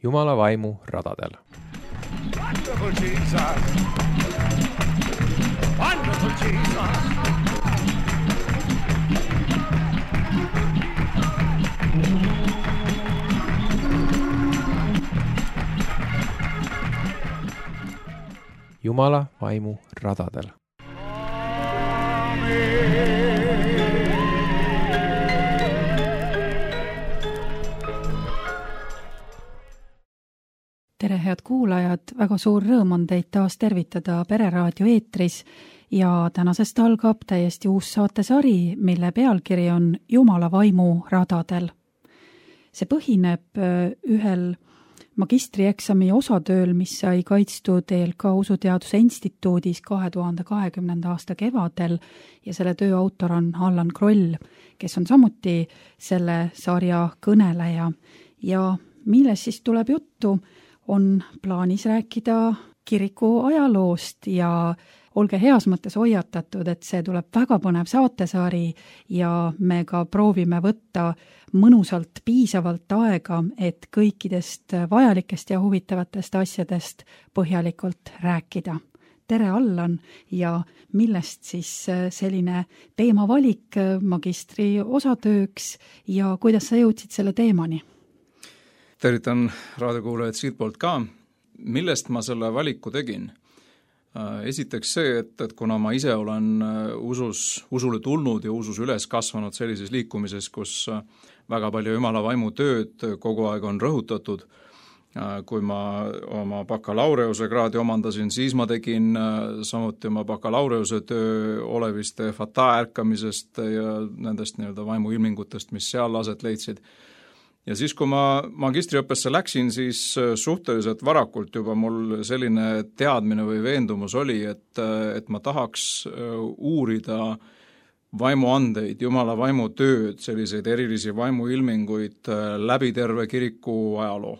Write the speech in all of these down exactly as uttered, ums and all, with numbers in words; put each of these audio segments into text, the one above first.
Jumala vaimu radadel. Wonderful Jesus! Wonderful Jesus! Jumala vaimu radadel. Tere, head kuulajad, väga suur rõõm on teid taas tervitada Pereraadio eetris ja tänasest algab täiesti uus saatesari, mille pealkiri on Jumala vaimu radadel. See põhineb ühel magistrieksami osatööl, mis sai kaitstud E L K Usuteaduse Instituudis kahe tuhande kahekümnenda aasta kevadel ja selle töö autor on Allan Kroll, kes on samuti selle sarja kõneleja. Ja milles siis tuleb juttu, on plaanis rääkida kiriku ajaloost ja olge heas mõttes hoiatatud, et see tuleb väga põnev saatesari ja me ka proovime võtta mõnusalt piisavalt aega, et kõikidest vajalikest ja huvitavatest asjadest põhjalikult rääkida. Tere, Allan, ja millest siis selline teemavalik magistri osatööks ja kuidas sa jõudsid selle teemani? Tervitan raadiokuulajad siit poolt ka. Millest ma selle valiku tegin? Esiteks see, et, et kuna ma ise olen usus, usule tulnud ja usus üles kasvanud sellises liikumises, kus väga palju Jumala vaimu tööd kogu aeg on rõhutatud, kui ma oma bakalaureuse kraadi omandasin, siis ma tegin samuti oma bakalaureuse töö oleviste fata ärkamisest ja nendest nii-öelda vaimu ilmingutest, mis seal aset leidsid. Ja siis, kui ma magistriõppesse läksin, siis suhteliselt varakult juba mul selline teadmine või veendumus oli, et, et ma tahaks uurida vaimuandeid, Jumala vaimu tööd, selliseid erilisi vaimuilminguid läbi terve kiriku ajaloo.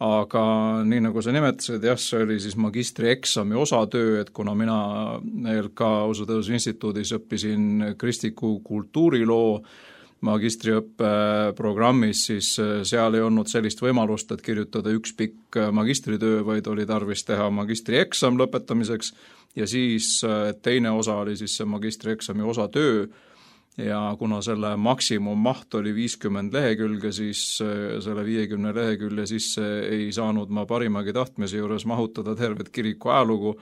Aga nii nagu sa nimetasid, jah, see oli siis magistrieksami osatöö, et kuna mina E L K Usuteaduse Instituudis õppisin kristliku kultuuriloo magistriõppe programmis, siis seal ei olnud sellist võimalust, et kirjutada üks pikk magistritöö, vaid oli tarvis teha magistrieksam lõpetamiseks ja siis teine osa oli siis see magistrieksami osatöö ja kuna selle maksimummaht oli viiskümmend lehekülge, siis selle viiekümne lehekülje sisse ei saanud ma parimagi tahtmise juures mahutada tervet kiriku ajalugu.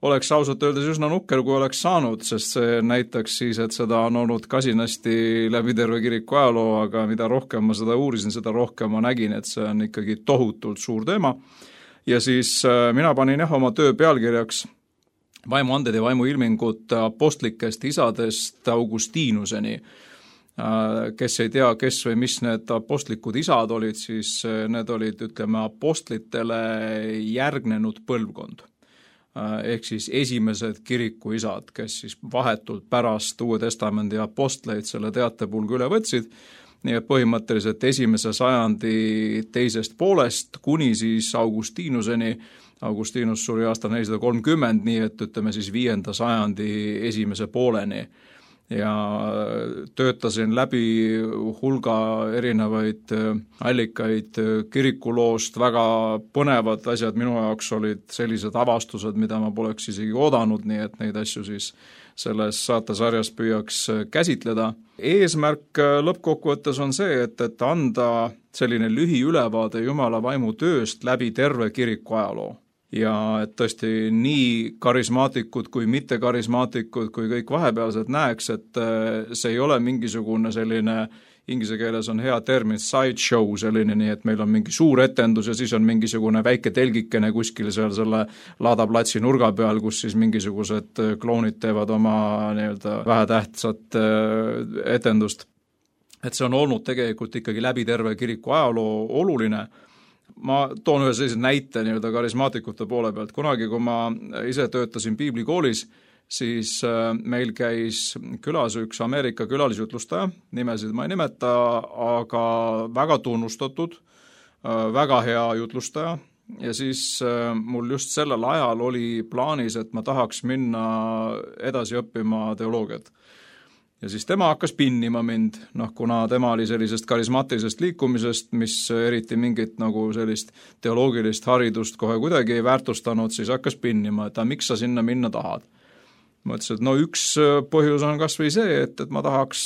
Oleks ausalt öeldes üsna nukker, kui oleks saanud, sest see näitaks siis, et seda on olnud kasinasti läbi terve kiriku ajaloo, aga mida rohkem ma seda uurisin, seda rohkem ma nägin, et see on ikkagi tohutult suur teema. Ja siis mina panin jah oma töö pealkirjaks vaimuanded ja vaimuilmingud apostlikest isadest Augustinuseni. Kes ei tea, kes või mis need apostlikud isad olid, siis need olid, ütleme, apostlitele järgnenud põlvkond. Ehk siis esimesed kirikuisad, kes siis vahetult pärast Uue Testamendi apostleid selle teatepulga üle võtsid, nii et põhimõtteliselt esimese sajandi teisest poolest kuni siis Augustinuseni. Augustinus suri aastal nelisada kolmkümmend, nii et ütleme siis viienda sajandi esimese pooleni. Ja töötasin läbi hulga erinevaid allikaid kirikuloost, väga põnevad asjad minu jaoks olid sellised avastused, mida ma poleks isegi oodanud, nii et neid asju siis selles saatesarjas püüaks käsitleda. Eesmärk lõppkokkuvõttes on see, et, et anda selline lühiülevaade Jumala vaimu tööst läbi terve kiriku ajaloo. Ja et tõesti nii karismaatikud kui mitte karismaatikud kui kõik vahepealsed näeks, et see ei ole mingisugune selline, inglise keeles on hea termin sideshow selline, nii et meil on mingi suur etendus ja siis on mingisugune väike telgikene kuskil seal selle laadaplatsi nurga peal, kus siis mingisugused kloonid teevad oma nii-öelda vähetähtsat etendust. Et see on olnud tegelikult ikkagi läbi terve kiriku ajaloo oluline. Ma toon ühe sellise näite nii-öelda karismaatikute poole pealt. Kunagi, kui ma ise töötasin piiblikoolis, siis meil käis külas üks Ameerika külalisjutlustaja, nimesid ma ei nimeta, aga väga tunnustatud, väga hea jutlustaja. Ja siis mul just sellel ajal oli plaanis, et ma tahaks minna edasi õppima teoloogiat. ja siis tema hakkas pinnima mind, noh kuna tema oli sellisest karismaatilisest liikumisest, mis eriti mingit nagu sellist teoloogilist haridust kohe kuidagi ei väärtustanud, siis hakkas pinnima, et miks sa sinna minna tahad. Ma ütlesin, et no üks põhjus on kas või see, et, et ma tahaks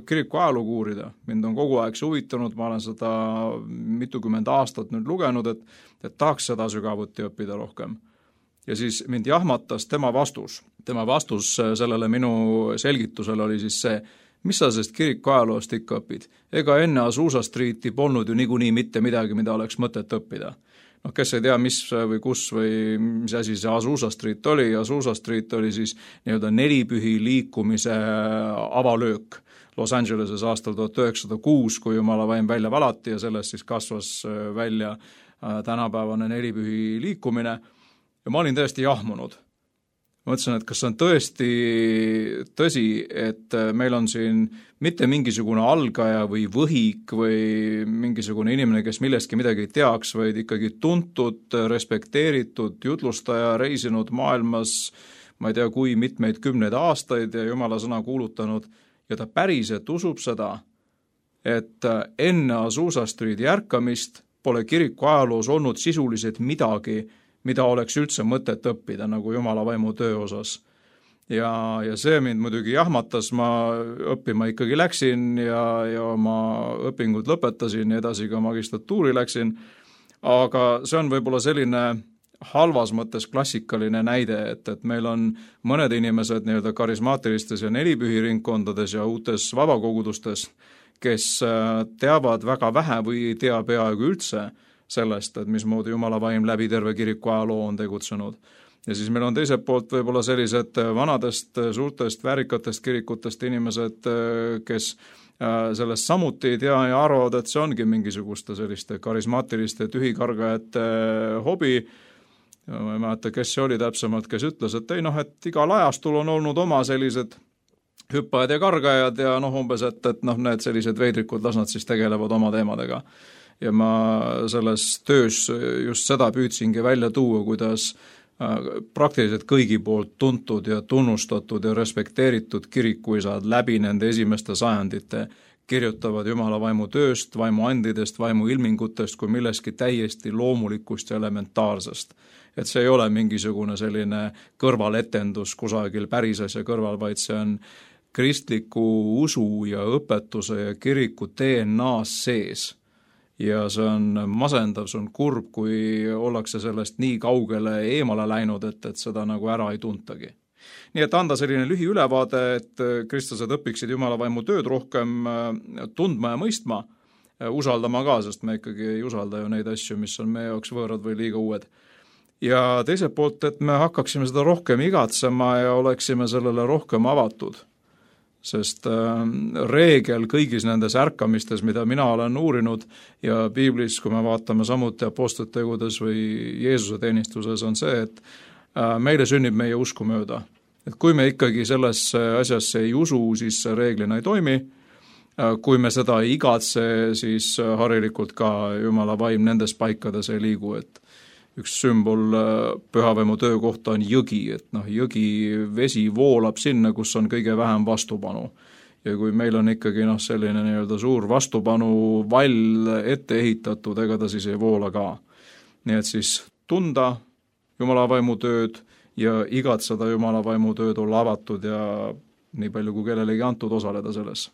kiriku ajalugu uurida. Mind on kogu aeg huvitanud, ma olen seda mitukümmend aastat nüüd lugenud, et, et tahaks seda sügavuti õppida rohkem. Ja siis mind jahmatas tema vastus. Tema vastus sellele minu selgitusele oli siis see, mis sa sest kiriku ajaloost ikka õpid. Ega enne Azusa Streeti polnud ju niikuinii mitte midagi, mida oleks mõtet õppida. noh, kes ei tea, mis või kus või mis asi see Azusa Street oli, Azusa Street oli siis nii-öelda nelipühi liikumise avalöök Los Angeleses aastal tuhat üheksasada kuus, kui Jumala vaim välja valati ja sellest siis kasvas välja tänapäevane nelipühi liikumine ja ma olin täiesti jahmunud. Ma mõtlesin, et kas on tõesti tõsi, et meil on siin mitte mingisugune algaja või võhik või mingisugune inimene, kes millestki midagi ei teaks, vaid ikkagi tuntud, respekteeritud jutlustaja, reisinud maailmas, ma ei tea, kui mitmeid kümneid aastaid ja Jumala sõna kuulutanud ja ta päriselt usub seda, et enne Azusa Streeti ärkamist pole kiriku ajaloos olnud sisuliselt midagi, mida oleks üldse mõtet õppida nagu Jumala vaimu töö osas. Ja, ja see mind muidugi jahmatas, ma õppima ikkagi läksin ja, ja oma õpingud lõpetasin ja edasi ka magistratuuri läksin, aga see on võib-olla selline halvas mõttes klassikaline näide, et, et meil on mõned inimesed nii-öelda karismaatilistes ja nelipühiringkondades ja uutes vabakogudustes, kes teavad väga vähe või ei tea peaaegu üldse sellest, et mismoodi Jumala vaim läbi terve kiriku ajaloo on tegutsenud. Ja siis meil on teiselt poolt võib-olla sellised vanadest, suurtest, väärikatest kirikutest inimesed, kes sellest samuti ei tea ja arvavad, et see ongi mingisuguste selliste karismaatiliste tühikargajate hobi. Ma ei mäleta, kes see oli täpsemalt, kes ütles, et ei noh, et igal ajastul on olnud oma sellised hüppajad ja kargajad ja noh, umbes, et, et noh, need sellised veidrikud, las nad siis tegelevad oma teemadega. Ja ma selles töös just seda püüdsingi välja tuua, kuidas praktiliselt kõigi poolt tuntud ja tunnustatud ja respekteeritud kirikuisad läbi nende esimeste sajandite kirjutavad Jumala vaimu tööst, vaimu andidest, vaimu ilmingutest kui milleski täiesti loomulikust ja elementaarsest. Et see ei ole mingisugune selline kõrvaletendus kusagil päris asja kõrval, vaid see on kristliku usu ja õpetuse ja kiriku D N A-s sees. Ja see on masendav, see on kurb, kui ollakse sellest nii kaugele eemale läinud, et, et seda nagu ära ei tuntagi. Nii et anda selline lühiülevaade, et kristlased õpiksid Jumala vaimu tööd rohkem tundma ja mõistma, usaldama ka, sest me ikkagi ei usalda ju neid asju, mis on meie jaoks võõrad või liiga uued. Ja teiselt poolt, et me hakkaksime seda rohkem igatsema ja oleksime sellele rohkem avatud. Sest äh, reegel kõigis nendes ärkamistes, mida mina olen uurinud ja piiblis, kui me vaatame samuti apostlite tegudes või Jeesuse teenistuses, on see, et äh, meile sünnib meie usku mööda. Et kui me ikkagi sellesse asjasse ei usu, siis reeglina ei toimi. Äh, kui me seda ei igatse, siis harilikult ka Jumala vaim nendes paikades ei liigu, et üks sümbol pühavaimu töö kohta on jõgi, et noh, jõgi vesi voolab sinna, kus on kõige vähem vastupanu. Ja kui meil on ikkagi noh, selline nii-öelda suur vastupanu vall ette ehitatud, ega ta siis ei voola ka. Nii et siis tunda Jumala vaimu tööd ja igatseda Jumala vaimu tööd olla avatud ja nii palju kui kellelegi antud osaleda selles.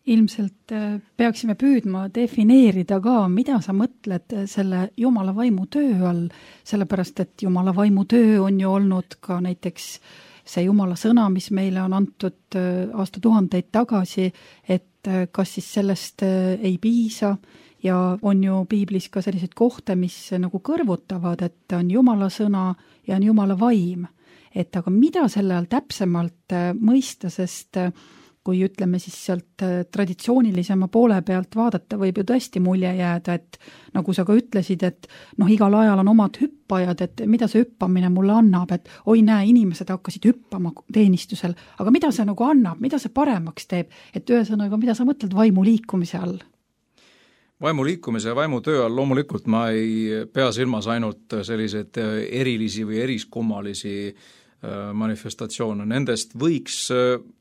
Ilmselt peaksime püüdma defineerida ka, mida sa mõtled selle Jumala vaimu töö all, sellepärast et Jumala vaimu töö on ju olnud ka näiteks see Jumala sõna, mis meile on antud aastatuhandeid tagasi, et kas siis sellest ei piisa ja on ju piiblis ka sellised kohta, mis nagu kõrvutavad, et on Jumala sõna ja on Jumala vaim. Et aga mida selle all täpsemalt mõista, sest kui ütleme siis sealt traditsioonilisema poole pealt vaadata, võib ju tõesti mulje jääda, et nagu sa ka ütlesid, et noh, igal ajal on omad hüppajad, et mida see hüppamine mulle annab, et oi näe, inimesed hakkasid hüppama teenistusel, aga mida see nagu annab, mida see paremaks teeb, et ühesõnaga, mida sa mõtled vaimu liikumise all? Vaimu liikumise ja vaimu töö all loomulikult ma ei pea silmas ainult selliseid erilisi või eriskummalisi manifestatsioone. Nendest võiks,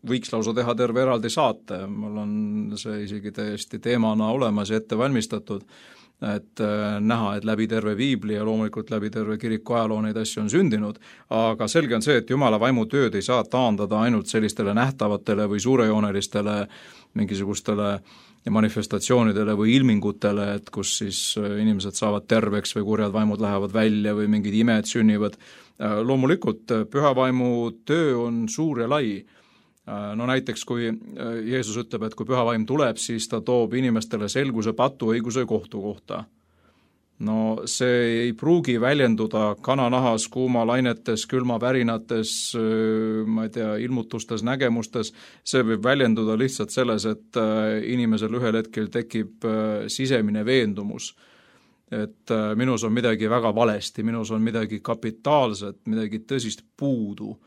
võiks lausa teha terve eraldi saate, mul on see isegi täiesti teemana olemas ja ette valmistatud, et näha, et läbi terve piibli ja loomulikult läbi terve kiriku ajaloo neid asju on sündinud, aga selge on see, et Jumala vaimu tööd ei saa taandada ainult sellistele nähtavatele või suurejoonelistele mingisugustele manifestatsioonidele või ilmingutele, et kus siis inimesed saavad terveks või kurjad vaimud lähevad välja või mingid imed sünnivad. Loomulikult pühavaimu töö on suur ja lai. No näiteks, kui Jeesus ütleb, et kui pühavaim tuleb, siis ta toob inimestele selguse patu, õiguse ja kohtu kohta. No see ei pruugi väljenduda kananahas, kuumalainetes, külmavärinates, ma ei tea, ilmutustes, nägemustes. See võib väljenduda lihtsalt selles, et inimesel ühel hetkel tekib sisemine veendumus, et minus on midagi väga valesti, minus on midagi kapitaalset, midagi tõsist puudu.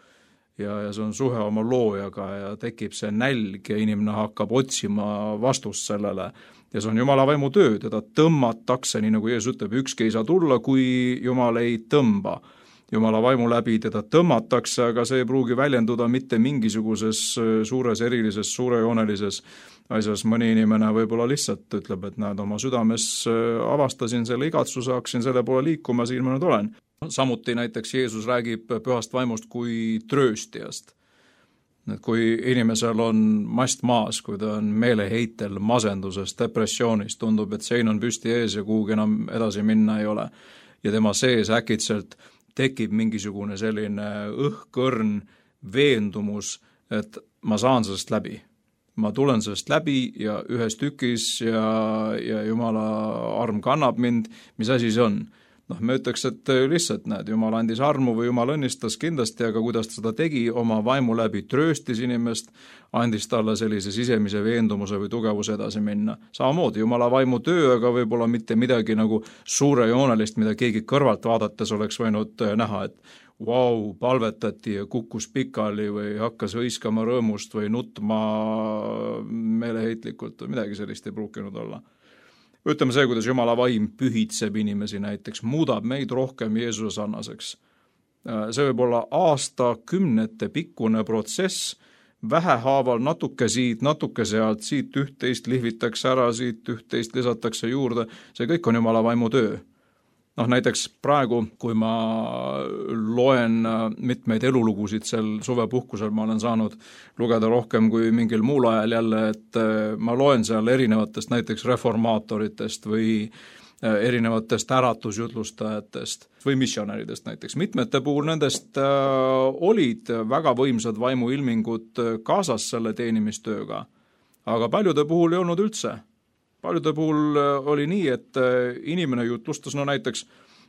Ja, ja see on suhe oma loojaga ja tekib see nälg ja inimene hakkab otsima vastust sellele. Ja see on Jumala vaimu töö, teda tõmmatakse, nii nagu Jeesus ütleb, ükski ei saa tulla, kui Jumal ei tõmba. Jumala vaimu läbi teda tõmmatakse, aga see ei pruugi väljenduda mitte mingisuguses suures erilises, suurejoonelises asjas. Mõni inimene võib-olla lihtsalt ütleb, et näed, oma südames avastasin selle igatsuse, hakkasin selle poole liikuma, siin ma nüüd olen. Samuti näiteks Jeesus räägib pühast vaimust kui trööstijast. Et kui inimesel on mast maas, kui ta on meeleheitel, masenduses, depressioonis, tundub, et sein on püsti ees ja kuhugi enam edasi minna ei ole. Ja tema sees äkitselt tekib mingisugune selline õhkõrn veendumus, et ma saan sellest läbi. Ma tulen sellest läbi ja ühes tükis ja, ja Jumala arm kannab mind, mis asi see on? Noh, me ütleks, et lihtsalt näed, Jumal andis armu või Jumal õnnistas kindlasti, aga kuidas ta seda tegi, oma vaimu läbi trööstis inimest, andis talle sellise sisemise veendumuse või tugevuse edasi minna. Samamoodi Jumala vaimu töö, aga võib-olla mitte midagi nagu suurejoonelist, mida keegi kõrvalt vaadates oleks võinud näha, et vau, palvetati ja kukkus pikali või hakkas hõiskama rõõmust või nutma meeleheitlikult või midagi sellist ei pruukinud olla. Ütleme see, kuidas Jumala vaim pühitseb inimesi näiteks, muudab meid rohkem Jeesuse sarnaseks. See võib olla aastakümnete pikkune protsess, vähehaaval natuke siit, natuke sealt, siit üht-teist lihvitakse ära, siit üht-teist lisatakse juurde, see kõik on Jumala vaimu töö. Noh, näiteks praegu, kui ma loen mitmeid elulugusid sel suvepuhkusel, ma olen saanud lugeda rohkem kui mingil muul ajal jälle, et ma loen seal erinevatest näiteks reformaatoritest või erinevatest äratusjutlustajatest või missionäridest näiteks. Mitmete puhul nendest olid väga võimsad vaimuilmingud kaasas selle teenimistööga, aga paljude puhul ei olnud üldse. Paljude puhul oli nii, et inimene jutlustas, no näiteks,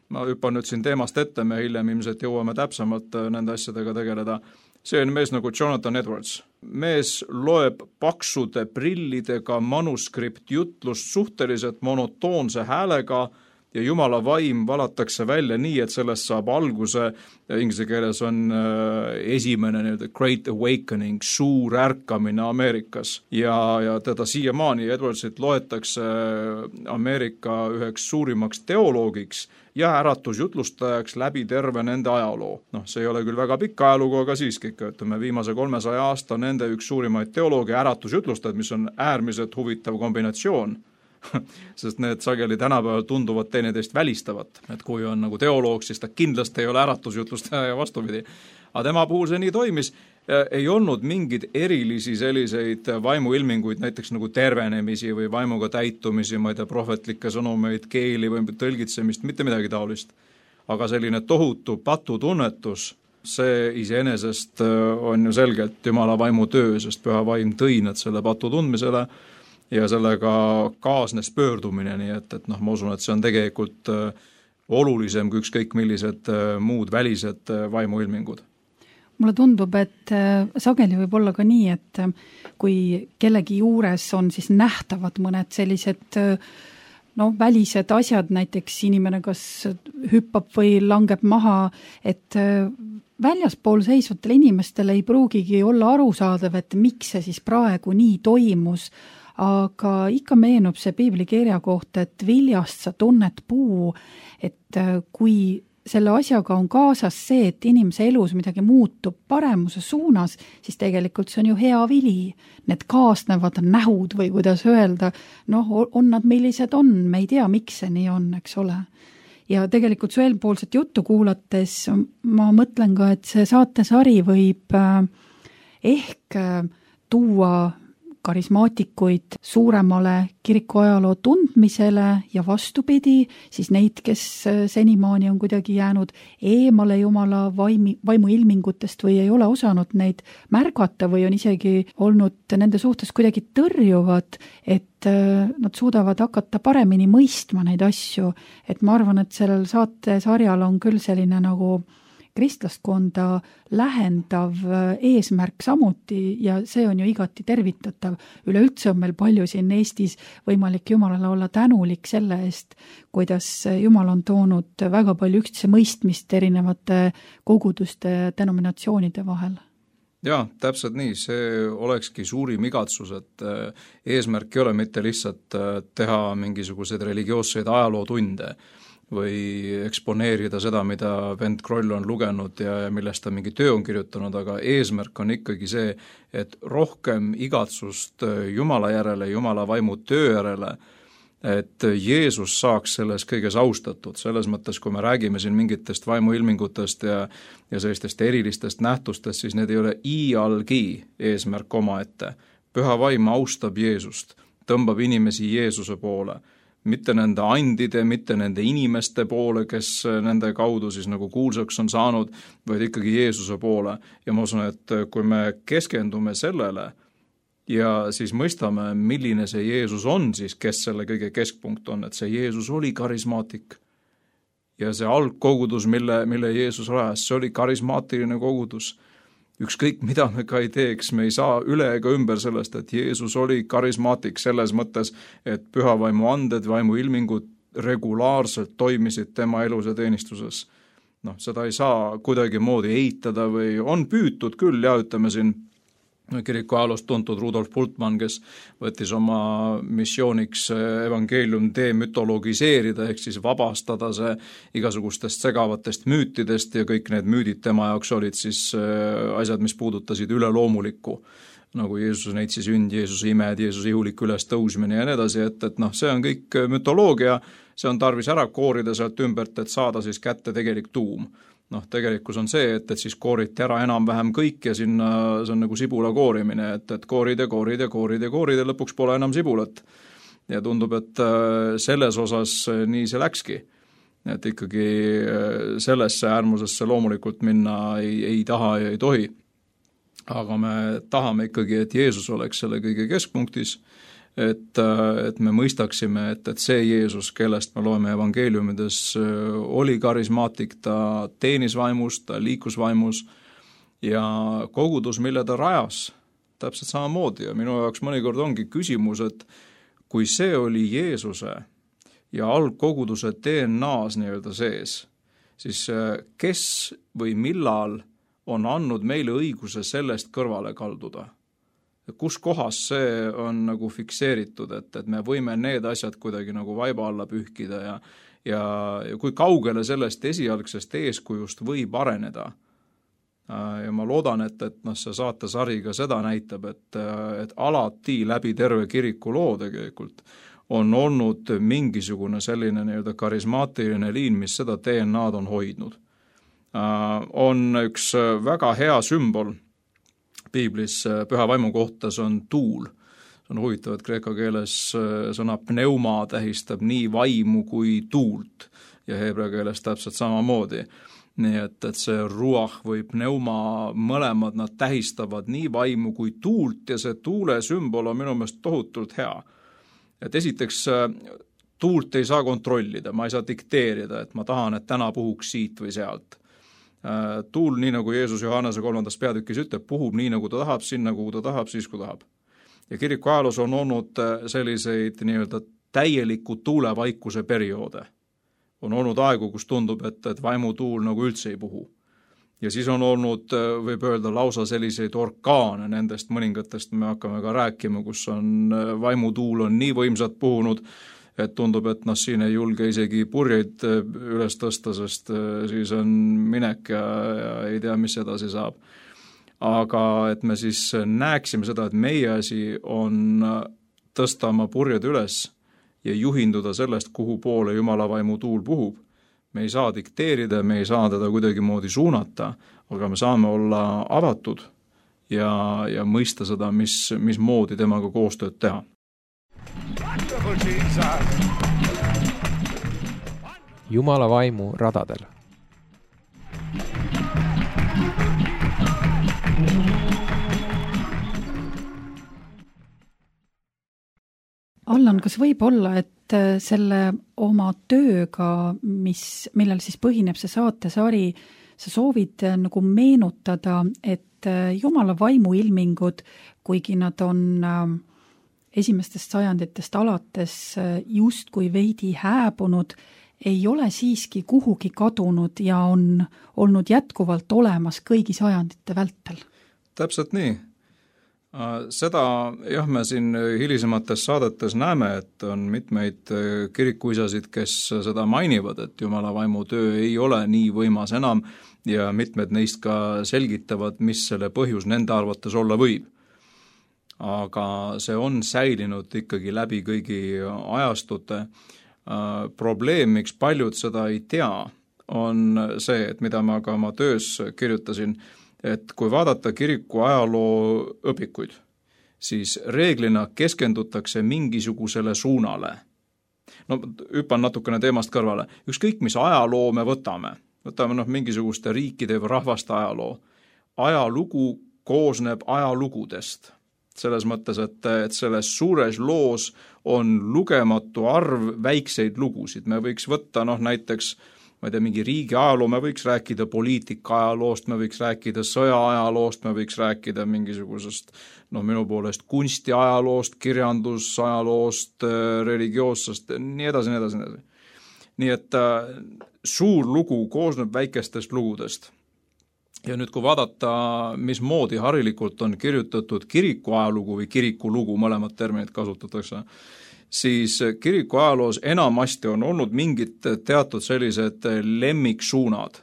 ma hüppan nüüd siin teemast ette, me hiljem ilmselt jõuame täpsemalt nende asjadega tegeleda. See on mees nagu Jonathan Edwards. Mees loeb paksude prillidega manuskript jutlust suhteliselt monotoonse häälega ja Jumala vaim valatakse välja nii, et sellest saab alguse, inglise keeles on esimene nii-öelda Great Awakening, suur ärkamine Ameerikas. Ja, ja teda siiamaani Edwardsit loetakse Ameerika üheks suurimaks teoloogiks ja äratusjutlustajaks läbi terve nende ajaloo. Noh, see ei ole küll väga pikk ajalugu, aga siiski ikka, ütleme, viimase kolmesaja aasta nende üks suurimaid teoloogia äratusjutlustajad, mis on äärmiselt huvitav kombinatsioon. Sest need sageli tänapäeval tunduvad teineteist välistavat, et kui on nagu teoloog, siis ta kindlasti ei ole äratusjutlustaja ja vastupidi. Aga tema puhul see nii toimis, ei olnud mingid erilisi selliseid vaimuilminguid, näiteks nagu tervenemisi või vaimuga täitumisi, ma ei tea, prohvetlikke sõnumeid, keeli või tõlgitsemist, mitte midagi taolist. Aga selline tohutu patutunnetus, see iseenesest on ju selgelt Jumala vaimu töö, sest püha vaim tõi nad selle patu tundmisele ja sellega kaasnes pöördumine, nii et, et noh, ma usun, et see on tegelikult olulisem kui ükskõik millised muud välised vaimuilmingud. Mulle tundub, et sageli võib olla ka nii, et kui kellegi juures on siis nähtavad mõned sellised no, välised asjad, näiteks inimene kas hüppab või langeb maha, et väljaspool seisvatele inimestele ei pruugigi olla arusaadav, et miks see siis praegu nii toimus, aga ikka meenub see piibli kirja kohta, et viljast sa tunned puu, et kui selle asjaga on kaasas see, et inimese elus midagi muutub paremuse suunas, siis tegelikult see on ju hea vili. Need kaasnevad nähud või kuidas öelda, noh, on nad millised on, me ei tea, miks see nii on, eks ole. Ja tegelikult su eelpoolset juttu kuulates ma mõtlen ka, et see saatesari võib ehk tuua karismaatikuid suuremale kirikuajaloo tundmisele ja vastupidi, siis neid, kes senimaani on kuidagi jäänud eemale Jumala vaimi, vaimu ilmingutest või ei ole osanud neid märgata või on isegi olnud nende suhtes kuidagi tõrjuvad, et nad suudavad hakata paremini mõistma neid asju. Et ma arvan, et sellel saatesarjal on küll selline nagu kristlaskonda lähendav eesmärk samuti ja see on ju igati tervitatav. Üleüldse on meil palju siin Eestis võimalik Jumalale olla tänulik selle eest, kuidas Jumal on toonud väga palju üksteise mõistmist erinevate koguduste denominatsioonide vahel. Jaa, täpselt nii, see olekski suurim igatsus, et eesmärk ei ole mitte lihtsalt teha mingisuguseid religioosseid ajalootunde või eksponeerida seda, mida vend Kroll on lugenud ja millest ta mingi töö on kirjutanud, aga eesmärk on ikkagi see, et rohkem igatsust Jumala järele, Jumala vaimu töö järele, et Jeesus saaks selles kõiges austatud. Selles mõttes, kui me räägime siin mingitest vaimuilmingutest ja, ja sellistest erilistest nähtustest, siis need ei ole iialgi eesmärk omaette. Püha vaim austab Jeesust, tõmbab inimesi Jeesuse poole, mitte nende andide, mitte nende inimeste poole, kes nende kaudu siis nagu kuulsaks on saanud, vaid ikkagi Jeesuse poole. Ja ma usun, et kui me keskendume sellele ja siis mõistame, milline see Jeesus on siis, kes selle kõige keskpunkt on, et see Jeesus oli karismaatik. Ja see algkogudus, mille, mille Jeesus rajas, see oli karismaatiline kogudus. Ükskõik, mida me ka ei teeks, me ei saa üle ega ümber sellest, et Jeesus oli karismaatik selles mõttes, et püha vaimu anded, vaimu ilmingud regulaarselt toimisid tema elus ja teenistuses. Noh, seda ei saa kuidagi moodi eitada või on püütud küll ja ütleme siin kiriku ajaloost tuntud Rudolf Bultmann, kes võttis oma missiooniks evangeelium demütologiseerida, ehk siis vabastada see igasugustest segavatest müütidest ja kõik need müüdid tema jaoks olid siis asjad, mis puudutasid üleloomulikku, nagu Jeesuse neitsi sünd, Jeesuse imed, Jeesuse ihulik üles tõusmine ja nii edasi, et, et noh, see on kõik mütoloogia, see on tarvis ära koorida sealt ümbert, et saada siis kätte tegelik tuum. Noh, tegelikkus on see, et, et siis kooriti ära enam-vähem kõik ja sinna see on nagu sibula koorimine, et, et koorid ja koorid ja koorid ja koorid ja lõpuks pole enam sibulat. Ja tundub, et selles osas nii see läkski. Et ikkagi sellesse äärmusesse loomulikult minna ei, ei taha ja ei tohi. Aga me tahame ikkagi, et Jeesus oleks selle kõige keskpunktis, et, et me mõistaksime, et, et see Jeesus, kellest me loeme evangeeliumides, oli karismaatik, ta teenis vaimus, ta liikus vaimus ja kogudus, mille ta rajas, täpselt samamoodi ja minu jaoks mõnikord ongi küsimus, et kui see oli Jeesuse ja algkoguduse D N A-s nii-öelda sees, siis kes või millal on andnud meile õiguse sellest kõrvale kalduda? Kus kohas see on nagu fikseeritud, et, et me võime need asjad kuidagi nagu vaiba alla pühkida ja, ja, ja kui kaugele sellest esialgsest eeskujust võib areneda. Ja ma loodan, et, et noh, see saatesari ka seda näitab, et, et alati läbi terve kiriku loo tegelikult on olnud mingisugune selline nii-öelda karismaatiline liin, mis seda D N A-d on hoidnud. On üks väga hea sümbol Piiblis püha vaimu kohta, see on tuul. See on huvitav, et kreeka keeles sõna pneuma tähistab nii vaimu kui tuult ja heebrea keeles täpselt samamoodi. Nii et, et see ruah või pneuma mõlemad nad tähistavad nii vaimu kui tuult ja see tuule sümbol on minu meelest tohutult hea. Et esiteks tuult ei saa kontrollida, ma ei saa dikteerida, et ma tahan, et täna puhuks siit või sealt. Tuul, nii nagu Jeesus Johannese kolmandas peatükis ütleb, puhub nii nagu ta tahab, sinna kuhu ta tahab, siis kui tahab. Ja kiriku ajaloos on olnud selliseid nii-öelda täieliku tuulevaikuse perioode. On olnud aegu, kus tundub, et, et vaimutuul nagu üldse ei puhu. Ja siis on olnud, võib öelda, lausa selliseid orkaane, nendest mõningatest me hakkame ka rääkima, kus on vaimutuul on nii võimsad puhunud, et tundub, et noh, siin ei julge isegi purjeid üles tõsta, sest siis on minek ja, ja ei tea, mis edasi saab. Aga et me siis näeksime seda, et meie asi on tõsta oma purjed üles ja juhinduda sellest, kuhu poole Jumala vaimu tuul puhub. Me ei saa dikteerida, me ei saa teda kuidagimoodi suunata, aga me saame olla avatud ja, ja mõista seda, mis, mis moodi temaga koostööd teha. Jumala vaimu radadel. Allan, kas võib olla, et selle oma tööga, mis, millel siis põhineb see saatesari, sa soovid nagu meenutada, et Jumala vaimu ilmingud, kuigi nad on esimestest sajanditest alates justkui veidi hääbunud, ei ole siiski kuhugi kadunud ja on olnud jätkuvalt olemas kõigi sajandite vältel? Täpselt nii. Seda jah, me siin hilisemates saadetes näeme, et on mitmeid kirikuisasid, kes seda mainivad, et Jumala vaimu töö ei ole nii võimas enam ja mitmed neist ka selgitavad, mis selle põhjus nende arvates olla võib. Aga see on säilinud ikkagi läbi kõigi ajastute. Probleem, miks paljud seda ei tea, on see, et mida ma ka oma töös kirjutasin, et kui vaadata kiriku ajaloo õpikuid, siis reeglina keskendutakse mingisugusele suunale. No hüppan natukene teemast kõrvale. Ükskõik, mis ajaloo me võtame, võtame noh, mingisuguste riikide või rahvaste ajaloo. Ajalugu koosneb ajalugudest. Selles mõttes, et, et selles suures loos on lugematu arv väikseid lugusid. Me võiks võtta noh, näiteks ma ei tea, mingi riigi ajaloo, me võiks rääkida poliitika ajaloost, me võiks rääkida sõja ajaloost, me võiks rääkida mingisugusest, no minu poolest kunsti ajaloost, kirjandus ajaloost, religioossest, nii edasi, nii edasi, nii edasi. Nii et äh, suur lugu koosneb väikestest lugudest. Ja nüüd, kui vaadata, mis moodi harilikult on kirjutatud kiriku ajalugu või kiriku lugu, mõlemad terminid kasutatakse, siis kiriku ajaloos enamasti on olnud mingid teatud sellised lemmiksuunad.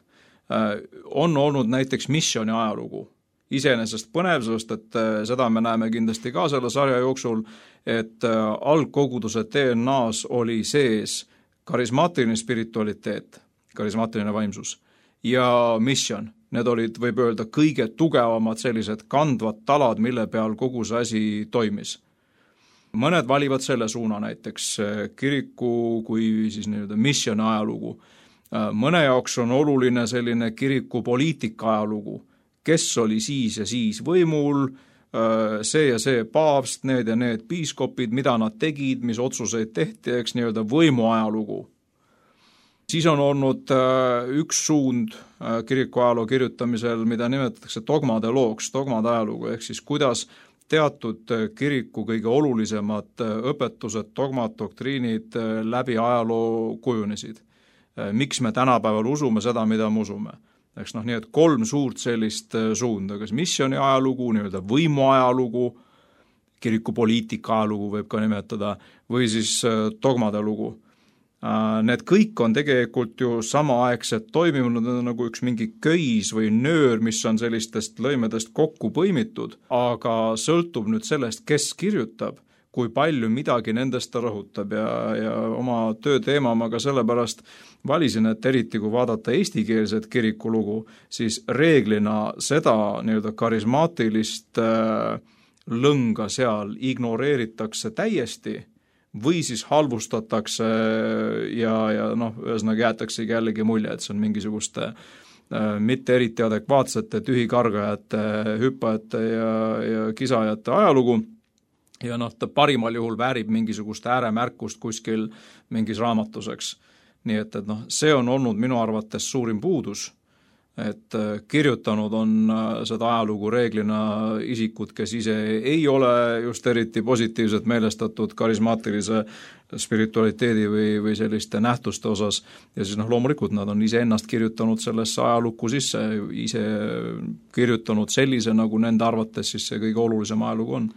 On olnud näiteks missiooni ajalugu. Iseenesest põnev, sest et seda me näeme kindlasti ka selle sarja jooksul, et algkoguduse D N A-s oli sees karismaatiline spiritualiteet, karismaatiline vaimsus ja mission. Need olid, võib öelda, kõige tugevamad sellised kandvad talad, mille peal kogu see asi toimis. Mõned valivad selle suuna näiteks kiriku kui siis nii-öelda missiooni ajalugu. Mõne jaoks on oluline selline kiriku poliitika ajalugu, kes oli siis ja siis võimul, see ja see paavst, need ja need piiskopid, mida nad tegid, mis otsuseid tehti, eks nii-öelda võimu ajalugu. Siis on olnud üks suund kiriku ajaloo kirjutamisel, mida nimetatakse dogmade looks, dogmade ajalugu, ehk siis kuidas teatud kiriku kõige olulisemad õpetused, dogmad, doktriinid läbi ajaloo kujunesid. Miks me tänapäeval usume seda, mida me usume? Eks noh, nii et kolm suurt sellist suunda, kas missiooni ajalugu, nii-öelda võimu ajalugu, kiriku poliitika ajalugu võib ka nimetada, või siis dogmade lugu. Need kõik on tegelikult ju samaaegselt toiminud, nagu üks mingi köis või nöör, mis on sellistest lõimedest kokku põimitud, aga sõltub nüüd sellest, kes kirjutab, kui palju midagi nendest ta rõhutab ja, ja oma töö teema ma ka sellepärast valisin, et eriti kui vaadata eestikeelset kirikulugu, siis reeglina seda nii-öelda karismaatilist lõnga seal ignoreeritakse täiesti, või siis halvustatakse ja, ja noh, ühesõnaga jäetaksegi jällegi mulje, et see on mingisuguste äh, mitte eriti adekvaatsete tühikargajate, hüppajate ja, ja kisajate ajalugu ja noh, ta parimal juhul väärib mingisugust ääremärkust kuskil mingis raamatuseks. Nii et, et noh, see on olnud minu arvates suurim puudus, et kirjutanud on seda ajalugu reeglina isikud, kes ise ei ole just eriti positiivselt meelestatud karismaatilise spiritualiteedi või, või selliste nähtuste osas ja siis noh, loomulikult nad on ise ennast kirjutanud sellesse ajalukku sisse, ise kirjutanud sellise, nagu nende arvates siis see kõige olulisem ajalugu on.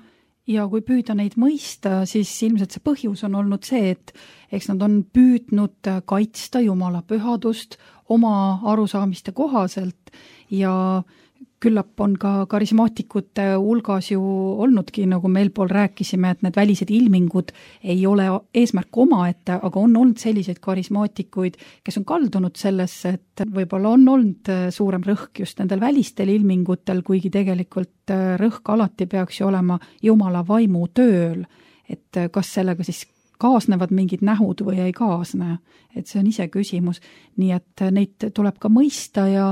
ja kui püüda neid mõista, siis ilmselt see põhjus on olnud see, et eks nad on püüdnud kaitsta Jumala pühadust oma arusaamiste kohaselt ja küllap on ka karismaatikute hulgas ju olnudki, nagu me eelpool rääkisime, et need välised ilmingud ei ole eesmärk omaette, aga on olnud selliseid karismaatikuid, kes on kaldunud sellesse, et võib-olla on olnud suurem rõhk just nendel välistel ilmingutel, kuigi tegelikult rõhk alati peaks ju olema Jumala vaimu tööl, et kas sellega siis kaasnevad mingid nähud või ei kaasne, et see on ise küsimus, nii et neid tuleb ka mõista ja,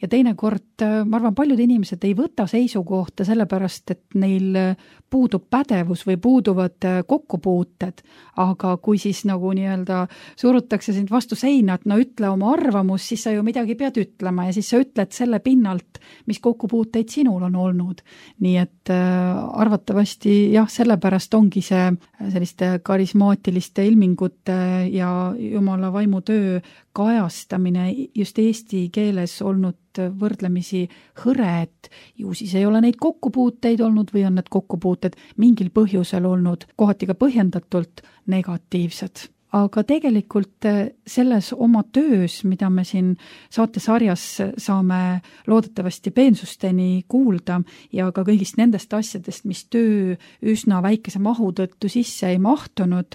ja teinekord, ma arvan, paljud inimesed ei võta seisukohta sellepärast, et neil puudub pädevus või puuduvad kokkupuuted, aga kui siis nagu nii-öelda surutakse sind vastu seina, et no ütle oma arvamus, siis sa ju midagi pead ütlema ja siis sa ütled selle pinnalt, mis kokkupuuteid sinul on olnud. Nii et äh, arvatavasti jah, sellepärast ongi see selliste karismaatiliste ilmingute ja Jumala vaimu töö kajastamine just eesti keeles olnud võrdlemisi hõre, et ju siis ei ole neid kokkupuuteid olnud või on need kokkupuuted mingil põhjusel olnud kohati ka põhjendatult negatiivsed. Aga tegelikult selles oma töös, mida me siin saatesarjas saame loodetavasti peensusteni kuulda ja ka kõigist nendest asjadest, mis töö üsna väikese mahu tõttu sisse ei mahtunud,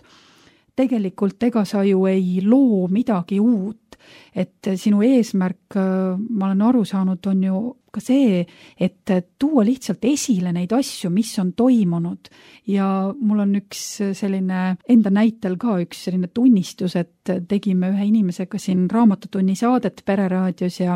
tegelikult ega sa ju ei loo midagi uut, et sinu eesmärk, ma olen aru saanud, on ju ka see, et tuua lihtsalt esile neid asju, mis on toimunud ja mul on üks selline enda näitel ka üks selline tunnistus, et tegime ühe inimesega siin raamatutunni saadet Pereraadios ja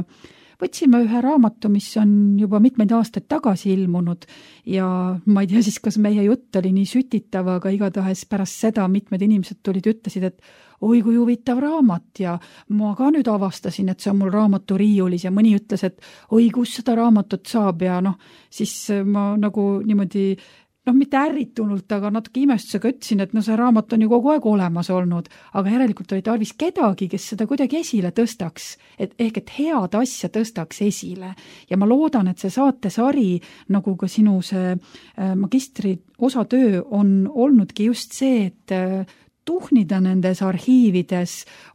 võtsime ühe raamatu, mis on juba mitmeid aastaid tagasi ilmunud ja ma ei tea siis, kas meie jutt oli nii sütitav, aga igatahes pärast seda mitmed inimesed tulid, ütlesid, et oi kui huvitav raamat ja ma ka nüüd avastasin, et see on mul raamatu riiulis ja mõni ütles, et oi, kus seda raamatut saab ja noh, siis ma nagu niimoodi noh, mitte ärritunult, aga natuke imestusega ütlesin, et no see raamat on ju kogu aeg olemas olnud, aga järelikult oli tarvis kedagi, kes seda kuidagi esile tõstaks, et ehk et head asja tõstaks esile. Ja ma loodan, et see saatesari, nagu ka sinu see magistri osatöö on olnudki just see, et tuhnida nendes arhiivides,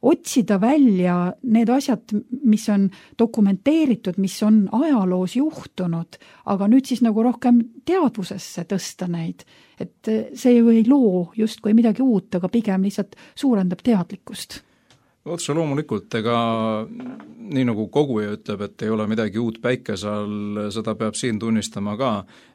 otsida välja need asjad, mis on dokumenteeritud, mis on ajaloos juhtunud, aga nüüd siis nagu rohkem teadvusesse tõsta neid. Et see ju ei loo justkui midagi uut, aga pigem lihtsalt suurendab teadlikkust. Otse loomulikult, ega nii nagu koguja ütleb, et ei ole midagi uut päikese all, seda peab siin tunnistama ka,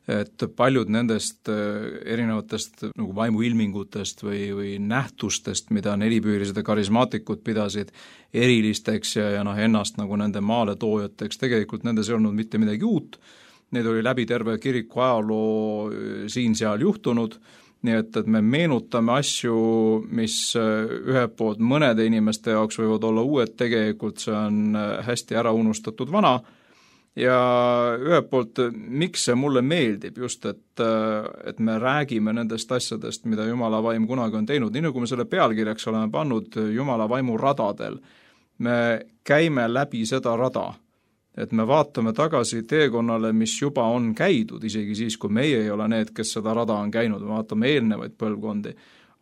et paljud nendest erinevatest nagu vaimuilmingutest või, või nähtustest, mida nelipüürised ja karismaatikud pidasid erilisteks ja, ja noh, ennast nagu nende maaletoojateks, tegelikult nendes ei olnud mitte midagi uut, need oli läbi terve kiriku ajaloo siin-seal juhtunud, nii et, et me meenutame asju, mis ühelt poolt mõnede inimeste jaoks võivad olla uued, tegelikult see on hästi ära unustatud vana ja ühelt poolt, miks see mulle meeldib just, et, et me räägime nendest asjadest, mida Jumala vaim kunagi on teinud, nii nagu me selle pealkirjaks oleme pannud Jumala vaimu radadel, me käime läbi seda rada, et me vaatame tagasi teekonnale, mis juba on käidud, isegi siis, kui meie ei ole need, kes seda rada on käinud, me vaatame eelnevaid põlvkondi.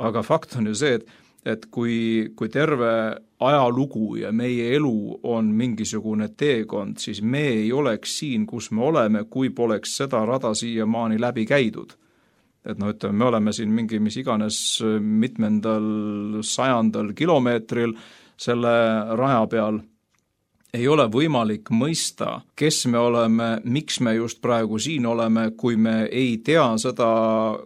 Aga fakt on ju see, et, et kui, kui terve ajalugu ja meie elu on mingisugune teekond, siis me ei oleks siin, kus me oleme, kui poleks seda rada siiamaani läbi käidud. Et no ütleme, me oleme siin mingi mis iganes mitmendal sajandal kilomeetril selle raja peal, ei ole võimalik mõista, kes me oleme, miks me just praegu siin oleme, kui me ei tea seda,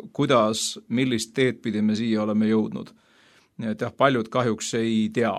kuidas, millist teed pidi me siia oleme jõudnud. Nii et jah, paljud kahjuks ei tea.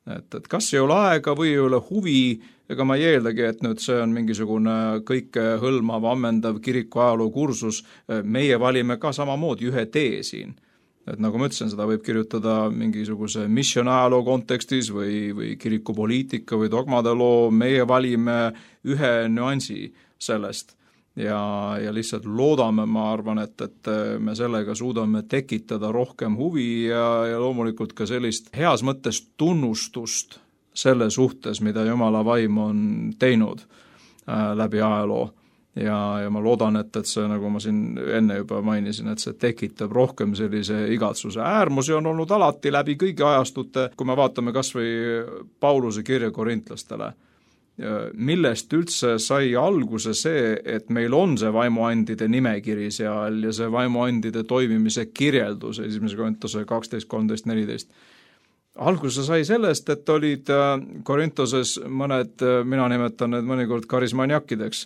Et, et kas ei ole aega või ei ole huvi, ega ma ei eeldagi, et nüüd see on mingisugune kõike hõlmav, ammendav kiriku ajaloo kursus, meie valime ka samamoodi ühe tee siin. Et nagu ma ütlesin, seda võib kirjutada mingisuguse missionajaloo kontekstis või, või kirikupoliitika või dogmade loo, meie valime ühe nüansi sellest ja, ja lihtsalt loodame, ma arvan, et, et me sellega suudame tekitada rohkem huvi ja, ja loomulikult ka sellist heas mõttes tunnustust selle suhtes, mida Jumala vaim on teinud äh, läbi ajaloo. ja, ja ma loodan, et, et see, nagu ma siin enne juba mainisin, et see tekitab rohkem sellise igatsuse. Äärmusi on olnud alati läbi kõigi ajastute, kui me vaatame kas või Pauluse kirja korintlastele, millest üldse sai alguse see, et meil on see vaimuandide nimekiri seal ja see vaimuandide toimimise kirjeldus, esimese Korintuse kaksteist, kolmteist, neliteist. Alguse sai sellest, et olid Korintoses mõned, mina nimetan need mõnikord karismaniakideks,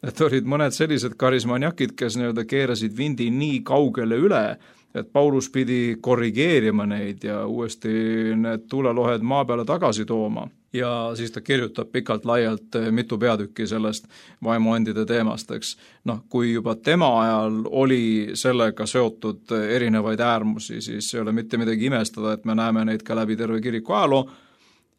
et olid mõned sellised karismaniakid, kes nii-öelda keerasid vindi nii kaugele üle, et Paulus pidi korrigeerima neid ja uuesti need tuulelohed maa peale tagasi tooma. Ja siis ta kirjutab pikalt laialt mitu peatükki sellest vaimuandide teemast, eks. Noh, kui juba tema ajal oli sellega seotud erinevaid äärmusi, siis ei ole mitte midagi imestada, et me näeme neid ka läbi terve kiriku ajaloo.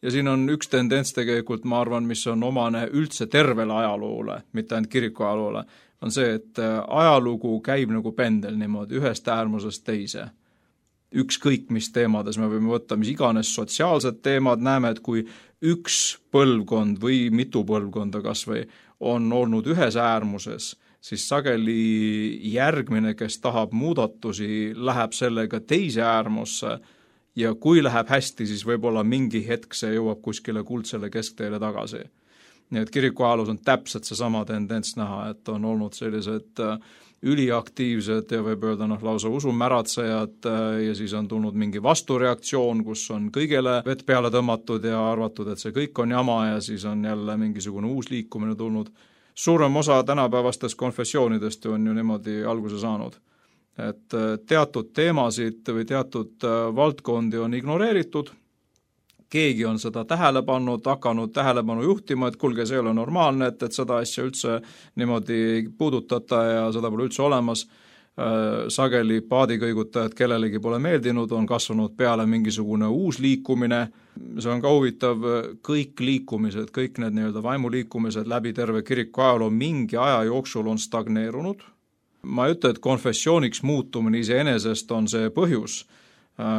Ja siin on üks tendents tegelikult, ma arvan, mis on omane üldse tervele ajaloole, mitte ainult kiriku ajaloole, on see, et ajalugu käib nagu pendel niimoodi ühest äärmusest teise. Ükskõik mis teemades me võime võtta, mis iganes sotsiaalsed teemad, näeme, et kui üks põlvkond või mitu põlvkonda kas või on olnud ühes äärmuses, siis sageli järgmine, kes tahab muudatusi, läheb sellega teise äärmusse ja kui läheb hästi, siis võib-olla mingi hetk see jõuab kuskile kuldsele keskteele tagasi. Nii et kiriku ajaloos on täpselt see sama tendents näha, et on olnud sellised üliaktiivsed ja võib öelda noh, lausa usumäratsejad ja siis on tulnud mingi vastureaktsioon, kus on kõigele vett peale tõmmatud ja arvatud, et see kõik on jama ja siis on jälle mingisugune uus liikumine tulnud. Suurem osa tänapäevastest konfessioonidest on ju niimoodi alguse saanud. Et teatud teemasid või teatud valdkondi on ignoreeritud, keegi on seda tähele pannud, hakanud tähelepanu juhtima, et kulge, see ei ole normaalne, et, et seda asja üldse niimoodi ei puudutata ja seda pole üldse olemas. Sageli paadikõigutajad, kellelegi pole meeldinud, on kasvanud peale mingisugune uus liikumine. See on ka huvitav, kõik liikumised, kõik need nii-öelda vaimuliikumised läbi terve kiriku ajaloo mingi aja jooksul on stagneerunud. Ma ei ütle, et konfessiooniks muutumine iseenesest on see põhjus.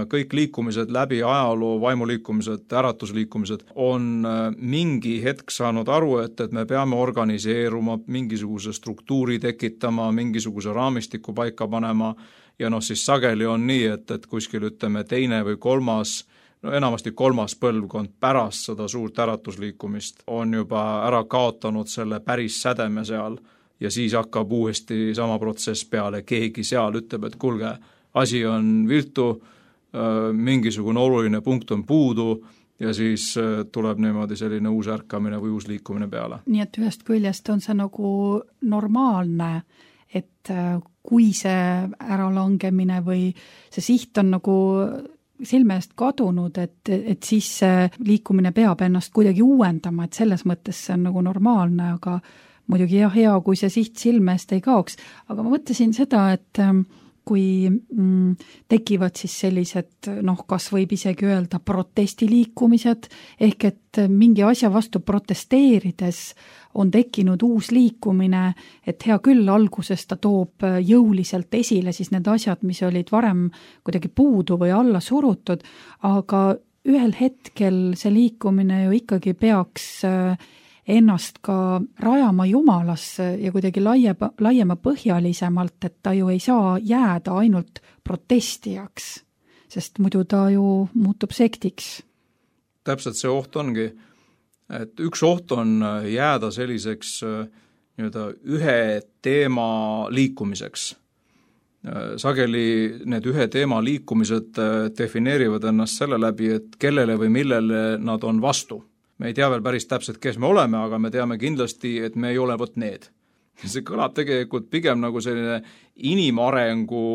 Kõik liikumised läbi ajaloo, vaimuliikumised, äratusliikumised on mingi hetk saanud aru, et, et me peame organiseeruma, mingisuguse struktuuri tekitama, mingisuguse raamistiku paika panema ja noh, siis sageli on nii, et, et kuskil ütleme teine või kolmas, no enamasti kolmas põlvkond pärast seda suurt äratusliikumist on juba ära kaotanud selle päris sädeme seal ja siis hakkab uuesti sama protsess peale, keegi seal ütleb, et kulge, asi on viltu, mingisugune oluline punkt on puudu ja siis tuleb niimoodi selline uus ärkamine või uus liikumine peale. Nii et ühest küljest on see nagu normaalne, et kui see äralangemine või see siht on nagu silme eest kadunud, et, et siis see liikumine peab ennast kuidagi uuendama, et selles mõttes see on nagu normaalne, aga muidugi jah, hea, kui see siht silme eest ei kaoks. Aga ma mõtlesin seda, et kui mm, tekivad siis sellised, noh, kas võib isegi öelda protestiliikumised, ehk et mingi asja vastu protesteerides on tekkinud uus liikumine, et hea küll, alguses ta toob jõuliselt esile siis need asjad, mis olid varem kuidagi puudu või alla surutud, aga ühel hetkel see liikumine ju ikkagi peaks ennast ka rajama Jumalasse ja kuidagi laiema, laiema põhjalisemalt, et ta ju ei saa jääda ainult protestijaks, sest muidu ta ju muutub sektiks. Täpselt see oht ongi, et üks oht on jääda selliseks nii-öelda ühe teema liikumiseks. Sageli need ühe teema liikumised defineerivad ennast selle läbi, et kellele või millele nad on vastu. Me ei tea veel päris täpselt, kes me oleme, aga me teame kindlasti, et me ei ole võt need. See kõlab tegelikult pigem nagu selline inimarengu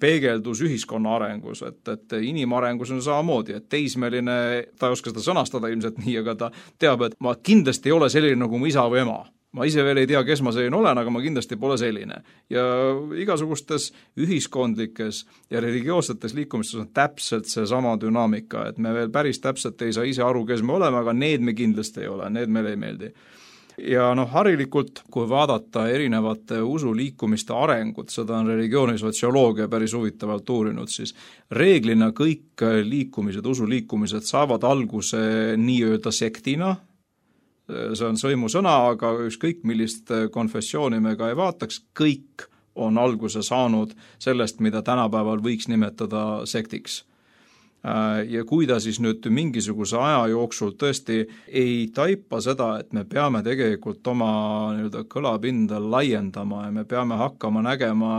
peegeldus ühiskonna arengus, et, et inimarengus on samamoodi, et teismeline, ta ei oska seda sõnastada ilmselt nii, aga ta teab, et ma kindlasti ei ole selline nagu mu isa või ema. Ma ise veel ei tea, kes ma selline olen, aga ma kindlasti pole selline. Ja igasugustes ühiskondlikes ja religioossetes liikumistes on täpselt see sama dünaamika, et me veel päris täpselt ei saa ise aru, kes me oleme, aga need me kindlasti ei ole, need meile ei meeldi. Ja noh, harilikult, kui vaadata erinevate usuliikumiste arengut, seda on religioonisotsioloogia päris huvitavalt uurinud, siis reeglina kõik liikumised, usuliikumised saavad alguse nii-öelda sektina, see on sõimusõna, aga ükskõik millist konfessiooni me ka ei vaataks, kõik on alguse saanud sellest, mida tänapäeval võiks nimetada sektiks. Ja kui ta siis nüüd mingisuguse aja jooksul tõesti ei taipa seda, et me peame tegelikult oma nii-öelda kõlapinda laiendama ja me peame hakkama nägema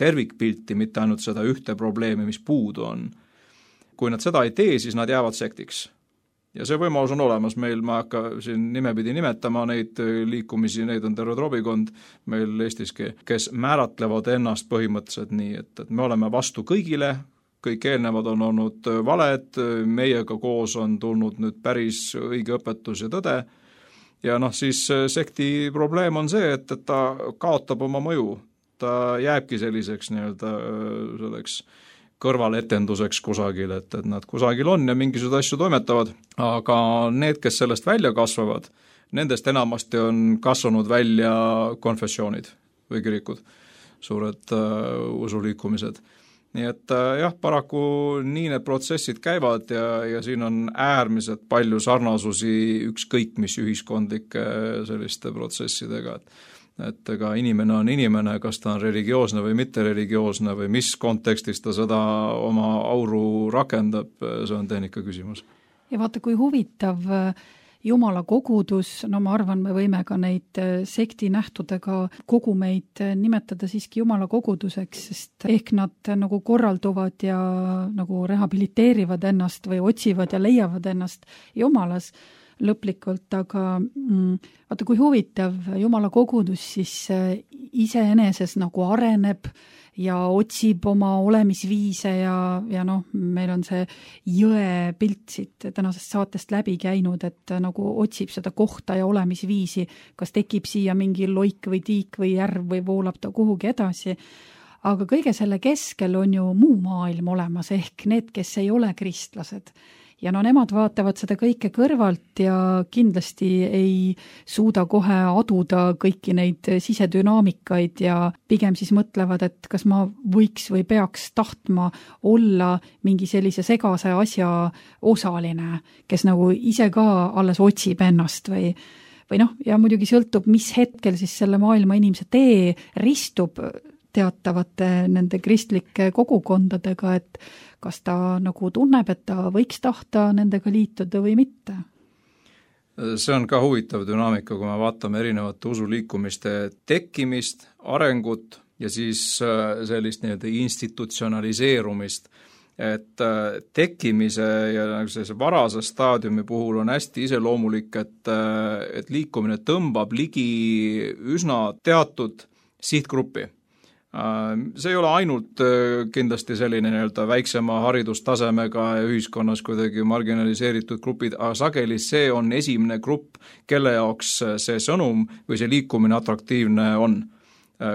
tervikpilti, mitte ainult seda ühte probleemi, mis puudu on. Kui nad seda ei tee, siis nad jäävad sektiks. Ja see võimalus on olemas meil, ma hakka siin nimepidi nimetama neid liikumisi, neid on terve trobikond meil Eestiski, kes määratlevad ennast põhimõtteliselt nii, et, et me oleme vastu kõigile, kõik eelnevad on olnud valed, meiega koos on tulnud nüüd päris õige õpetus ja tõde. Ja noh, siis sekti probleem on see, et, et ta kaotab oma mõju. Ta jääbki selliseks nii-öelda selleks kõrvaletenduseks kusagil, et, et nad kusagil on ja mingisugused asju toimetavad. Aga need, kes sellest välja kasvavad, nendest enamasti on kasvanud välja konfessioonid või kirikud, suured uh, usuliikumised. Nii et jah, paraku nii need protsessid käivad ja, ja siin on äärmiselt palju sarnasusi ükskõik mis ühiskondlike selliste protsessidega, et, et ega inimene on inimene, kas ta on religioosne või mitte religioosne või mis kontekstis ta seda oma auru rakendab, see on tehnika küsimus. Ja vaata, kui huvitav Jumala kogudus, no ma arvan, me võime ka neid sekti nähtudega kogumeid nimetada siiski Jumala koguduseks, sest ehk nad nagu korralduvad ja nagu rehabiliteerivad ennast või otsivad ja leiavad ennast Jumalas lõplikult, aga mm, vaata, kui huvitav Jumala kogudus siis iseeneses nagu areneb ja otsib oma olemisviise ja, ja noh, meil on see jõe pilt siit tänasest saatest läbi käinud, et nagu otsib seda kohta ja olemisviisi, kas tekib siia mingi loik või tiik või järv või voolab ta kuhugi edasi. Aga kõige selle keskel on ju muu maailm olemas, ehk need, kes ei ole kristlased. Ja no nemad vaatavad seda kõike kõrvalt ja kindlasti ei suuda kohe aduda kõiki neid sisedünaamikaid ja pigem siis mõtlevad, et kas ma võiks või peaks tahtma olla mingi sellise segase asja osaline, kes nagu ise ka alles otsib ennast või või noh, ja muidugi sõltub, mis hetkel siis selle maailma inimese tee ristub teatavate nende kristlike kogukondadega, et kas ta nagu tunneb, et ta võiks tahta nendega liituda või mitte? See on ka huvitav dünaamika, kui me vaatame erinevate usuliikumiste tekkimist, arengut ja siis sellist nii-öelda institutsionaliseerumist. Et tekkimise ja sellise varase staadiumi puhul on hästi iseloomulik, et, et liikumine tõmbab ligi üsna teatud sihtgruppi. See ei ole ainult kindlasti selline nii-öelda väiksema haridustasemega ja ühiskonnas kuidagi marginaliseeritud grupid, aga sageli see on esimene grupp, kelle jaoks see sõnum või see liikumine atraktiivne on.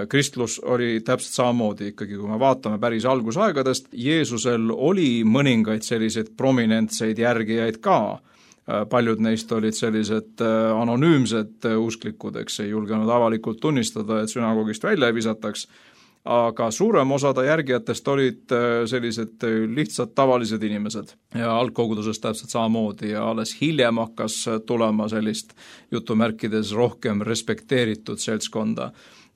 Kristlus oli täpselt samamoodi ikkagi, kui me vaatame päris algusaegadest, Jeesusel oli mõningaid selliseid prominentseid järgijaid ka. Paljud neist olid sellised anonüümsed usklikud, eks ei julgenud avalikult tunnistada, et sünagogist välja ei visataks, aga suurem osa ta järgijatest olid sellised lihtsalt tavalised inimesed ja algkogudusest täpselt samamoodi ja alles hiljem hakkas tulema sellist jutumärkides rohkem respekteeritud seltskonda.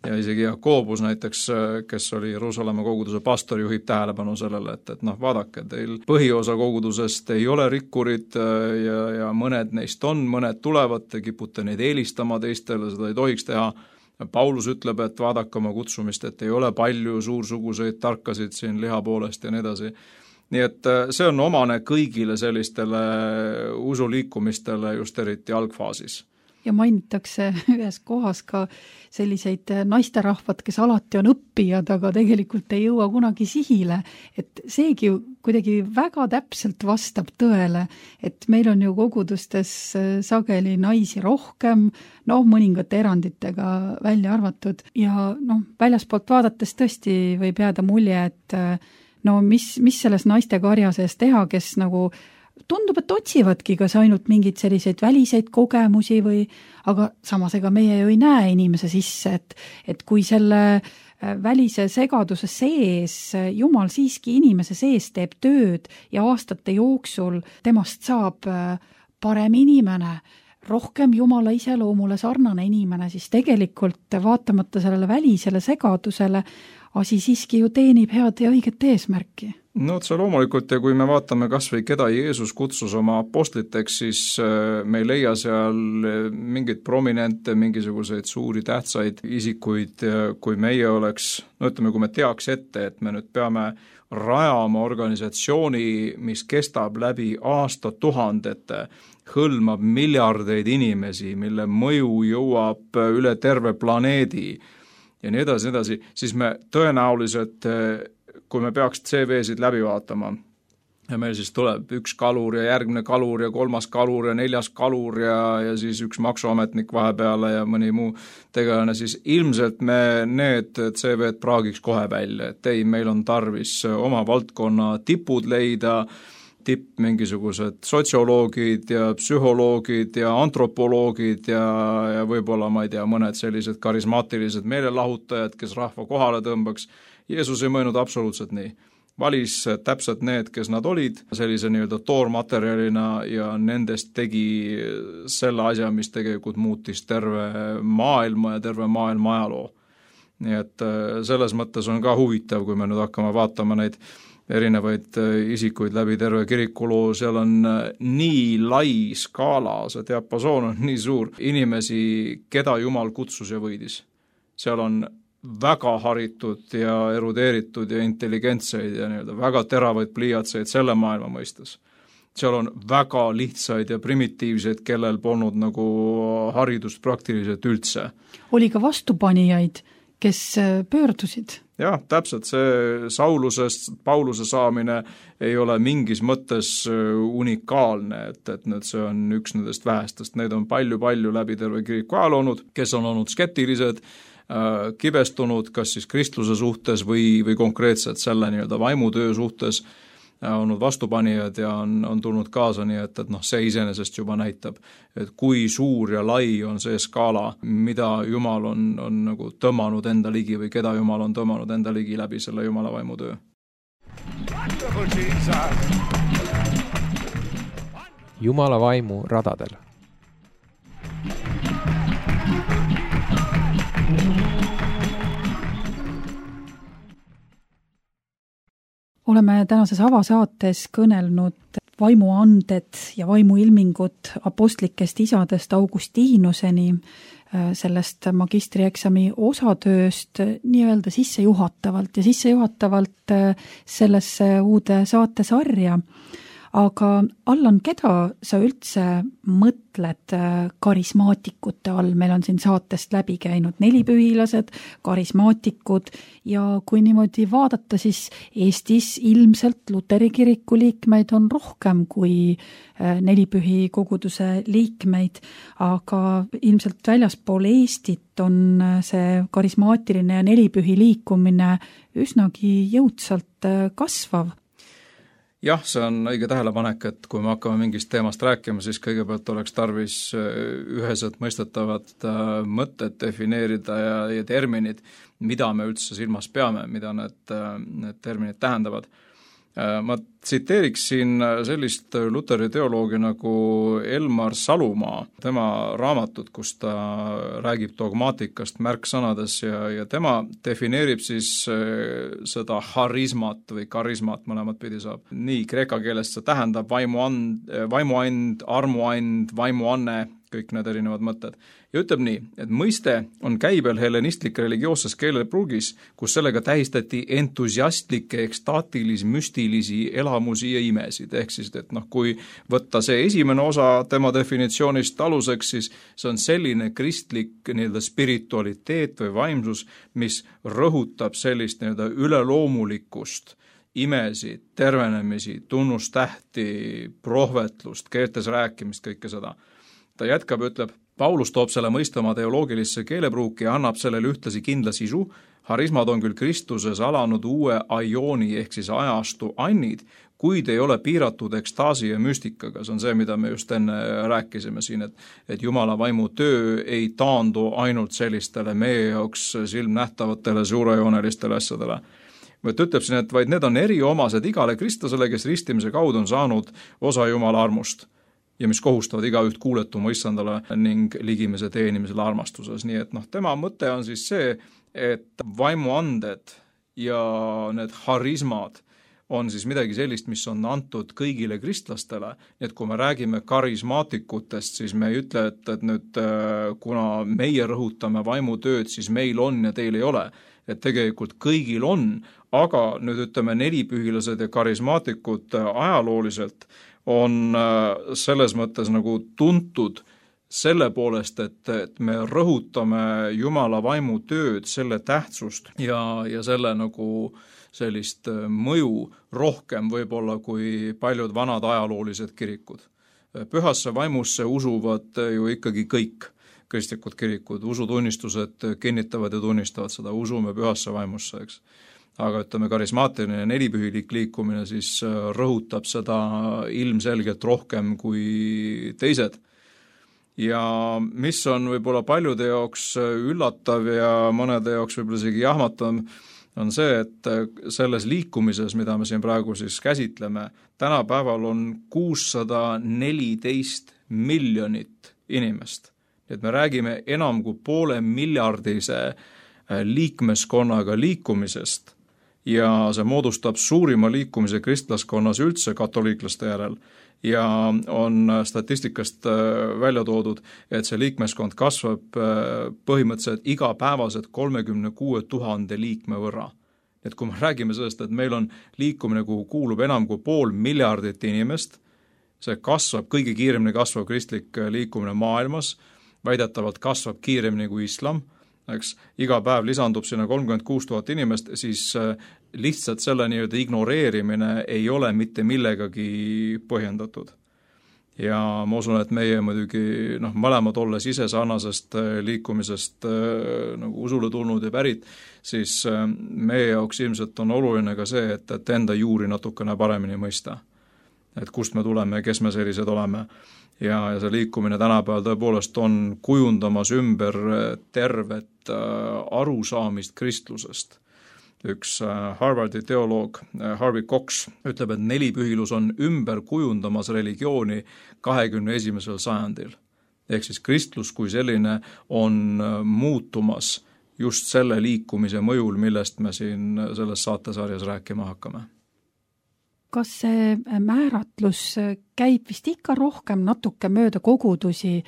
Ja isegi Jakobus näiteks, kes oli Jeruusalemma koguduse pastor, juhib tähelepanu sellele, et, et noh, vaadake, teil põhiosa kogudusest ei ole rikkurid ja, ja mõned neist on, mõned tulevad, te kipute neid eelistama teistele, seda ei tohiks teha. Paulus ütleb, et vaadake oma kutsumist, et ei ole palju suursuguseid tarkasid siin liha poolest ja nii edasi. Nii et see on omane kõigile sellistele usuliikumistele just eriti algfaasis. Ja mainitakse ühes kohas ka selliseid naisterahvad, kes alati on õppijad, aga tegelikult ei jõua kunagi sihile. Et seegi kuidagi väga täpselt vastab tõele, et meil on ju kogudustes sageli naisi rohkem, noh, mõningate eranditega välja arvatud. Ja noh, väljaspoolt vaadates tõesti võib jääda mulje, et no mis, mis selles naiste karja sees teha, kes nagu tundub, et otsivadki kas ainult mingeid selliseid väliseid kogemusi või, aga samas ega meie ju ei näe inimese sisse, et, et kui selle välise segaduse sees Jumal siiski inimese sees teeb tööd ja aastate jooksul temast saab parem inimene, rohkem Jumala iseloomule sarnane inimene, siis tegelikult vaatamata sellele välisele segadusele asi siiski ju teenib head ja õiget eesmärki. No see loomulikult, ja kui me vaatame kas või keda Jeesus kutsus oma apostliteks, siis me ei leia seal mingeid prominente, mingisuguseid suuri tähtsaid isikuid, kui meie oleks, no ütleme, kui me teaks ette, et me nüüd peame rajama organisatsiooni, mis kestab läbi aastatuhandete, hõlmab miljardeid inimesi, mille mõju jõuab üle terve planeedi ja nii edasi, edasi, siis me tõenäoliselt, kui me peaks C V-sid läbi vaatama ja meil siis tuleb üks kalur ja järgmine kalur ja kolmas kalur ja neljas kalur ja, ja siis üks maksuametnik vahepeale ja mõni muu tegelane, siis ilmselt me need C V-d praagiks kohe välja, et ei, meil on tarvis oma valdkonna tipud leida, tipp mingisugused sotsioloogid ja psühholoogid ja antropoloogid ja, ja võib-olla, ma ei tea, mõned sellised karismaatilised meelelahutajad, kes rahva kohale tõmbaks. Jeesus ei mõelnud absoluutselt nii. Valis täpselt need, kes nad olid, sellise nii-öelda toormaterjalina ja nendest tegi selle asja, mis tegelikult muutis terve maailma ja terve maailma ajaloo. Nii et selles mõttes on ka huvitav, kui me nüüd hakkame vaatama neid erinevaid isikuid läbi terve kirikuloo, seal on nii lai skaala, see diapasoon on nii suur, inimesi, keda Jumal kutsus ja võidis. Seal on väga haritud ja erudeeritud ja intelligentseid ja nii-öelda väga teravaid pliiatseid selle maailma mõistes. Seal on väga lihtsaid ja primitiivseid, kellel polnud nagu haridust praktiliselt üldse. Oli ka vastupanijaid, kes pöördusid. Jah, täpselt, see Saulusest Pauluse saamine ei ole mingis mõttes unikaalne, et, et nüüd see on üks nendest vähestest, need on palju-palju läbi terve kiriku ajal olnud, kes on olnud skeptilised, kibestunud kas siis kristluse suhtes või, või konkreetselt selle nii-öelda vaimutöö suhtes, olnud vastupanijad ja on, on tulnud kaasa, nii et, et noh, see iseenesest juba näitab, et kui suur ja lai on see skaala, mida Jumal on, on nagu tõmmanud enda ligi või keda Jumal on tõmmanud enda ligi läbi selle Jumala vaimutöö. Jumala vaimu radadel. Oleme tänases avasaates kõnelnud vaimuanded ja vaimuilmingud apostlikest isadest Augustiinuseni, sellest magistrieksami osatööst nii-öelda sissejuhatavalt ja sissejuhatavalt sellesse uude saatesarja. Aga Allan, keda sa üldse mõtled karismaatikute all? Meil on siin saatest läbi käinud nelipühilased, karismaatikud ja kui niimoodi vaadata, siis Eestis ilmselt Luteri kiriku liikmeid on rohkem kui nelipühi koguduse liikmeid, aga ilmselt väljaspool Eestit on see karismaatiline ja nelipühi liikumine üsnagi jõudsalt kasvav. Jah, see on õige tähelepanek, et kui me hakkame mingist teemast rääkima, siis kõigepealt oleks tarvis üheselt mõistetavad mõtted defineerida ja, ja terminid, mida me üldse silmas peame, mida need, need terminid tähendavad. Ma tsiteeriksin sellist Luteri teoloogi nagu Elmar Salumaa, tema raamatut, kus ta räägib dogmaatikast märksõnades ja, ja tema defineerib siis seda harismat või karismat, mõlemat pidi saab. Nii kreeka keelest see tähendab vaimuand, vaimuand, armuand, vaimuanne, kõik need erinevad mõtted. Ja ütleb nii, et mõiste on käibel hellenistlik religioosses keelepruugis, kus sellega tähistati entusiastlikke, ekstaatilis-müstilisi elamusi ja imesid. Ehk siis, et noh, kui võtta see esimene osa tema definitsioonist aluseks, siis see on selline kristlik nii-öelda spiritualiteet või vaimsus, mis rõhutab sellist nii-öelda üleloomulikkust, imesid, tervenemisi, tunnustähti, prohvetlust, keeltes rääkimist, kõike seda. Ta jätkab, ütleb, Paulus toob selle mõiste oma teoloogilisse keelepruuki ja annab sellele ühtlasi kindla sisu. Harismad on küll Kristuses alanud uue aiooni ehk siis ajastu annid, kuid ei ole piiratud ekstaasi ja müstikaga. See on see, mida me just enne rääkisime siin, et, et Jumala vaimu töö ei taandu ainult sellistele meie jaoks silmnähtavatele suurejoonelistele asjadele. Võt ütleb siin, et vaid need on eriomased igale kristlasele, kes ristimise kaudu on saanud osa Jumala armust. ja mis kohustavad igaüht kuuletuma issandale ning ligimese teenimisele armastuses. Nii et noh, tema mõte on siis see, et vaimuanded ja need harismad on siis midagi sellist, mis on antud kõigile kristlastele. Nii et kui me räägime karismaatikutest, siis me ei ütle, et, et nüüd kuna meie rõhutame vaimutööd, siis meil on ja teil ei ole. Et tegelikult kõigil on, aga nüüd ütleme nelipühilased ja karismaatikud ajalooliselt on selles mõttes nagu tuntud selle poolest, et, et me rõhutame Jumala vaimu tööd, selle tähtsust ja, ja selle nagu sellist mõju rohkem võib-olla kui paljud vanad ajaloolised kirikud. Pühasse vaimusse usuvad ju ikkagi kõik kristlikud kirikud, usutunnistused kinnitavad ja tunnistavad seda, usume pühasse vaimusse, eks. Aga ütleme, karismaatiline ja nelipühilik liikumine siis rõhutab seda ilmselgelt rohkem kui teised. Ja mis on võib-olla paljude jaoks üllatav ja mõnede jaoks võib-olla isegi jahmatav, on see, et selles liikumises, mida me siin praegu siis käsitleme, tänapäeval on kuussada neliteist miljonit inimest. Et me räägime enam kui poole miljardise liikmeskonnaga liikumisest ja see moodustab suurima liikumise kristlaskonnas üldse katoliiklaste järel ja on statistikast välja toodud, et see liikmeskond kasvab põhimõtteliselt igapäevaselt kolmekümne kuue tuhande liikme võrra. Et kui me räägime sellest, et meil on liikumine, kuhu kuulub enam kui pool miljardit inimest, see kasvab, kõige kiiremini kasvav kristlik liikumine maailmas, väidetavalt kasvab kiiremini kui islam, eks, iga päev lisandub sinna kolmkümmend kuus tuhat inimest, siis lihtsalt selle nii-öelda ignoreerimine ei ole mitte millegagi põhjendatud. Ja ma usun, et meie muidugi noh, mõlemad olles ise sarnasest liikumisest nagu usule tulnud ja pärit, siis meie jaoks ilmselt on oluline ka see, et, et enda juuri natukene paremini mõista. Et kust me tuleme ja kes me sellised oleme. Ja, ja see liikumine tänapäeval tõepoolest on kujundamas ümber tervet arusaamist kristlusest. Üks Harvardi teoloog Harvey Cox ütleb, et nelipühilus on ümber kujundamas religiooni kahekümne esimesel sajandil. Ehk siis kristlus kui selline on muutumas just selle liikumise mõjul, millest me siin selles saatesarjas rääkima hakkame. Kas see määratlus käib vist ikka rohkem natuke mööda kogudusi,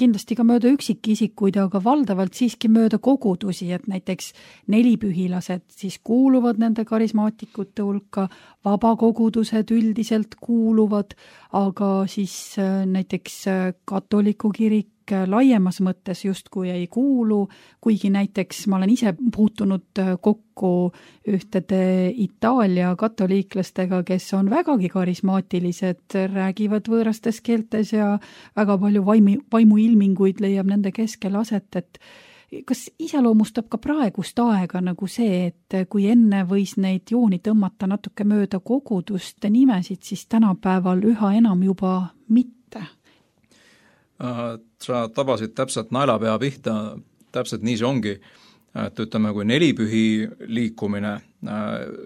kindlasti ka mööda üksikisikuid, aga valdavalt siiski mööda kogudusi, et näiteks nelipühilased siis kuuluvad nende karismaatikute hulka, vabakogudused üldiselt kuuluvad, aga siis näiteks katoliku kirik laiemas mõttes justkui ei kuulu, kuigi näiteks ma olen ise puutunud kokku ühtede Itaalia katoliiklastega, kes on vägagi karismaatilised, räägivad võõrastes keeltes ja väga palju vaimu, vaimuilminguid leiab nende keskel aset, et kas iseloomustab ka praegust aega nagu see, et kui enne võis neid jooni tõmmata natuke mööda koguduste nimesid, siis tänapäeval üha enam juba mitte? Sa tabasid täpselt naelapea pihta, täpselt nii see ongi, et ütleme, kui nelipühi liikumine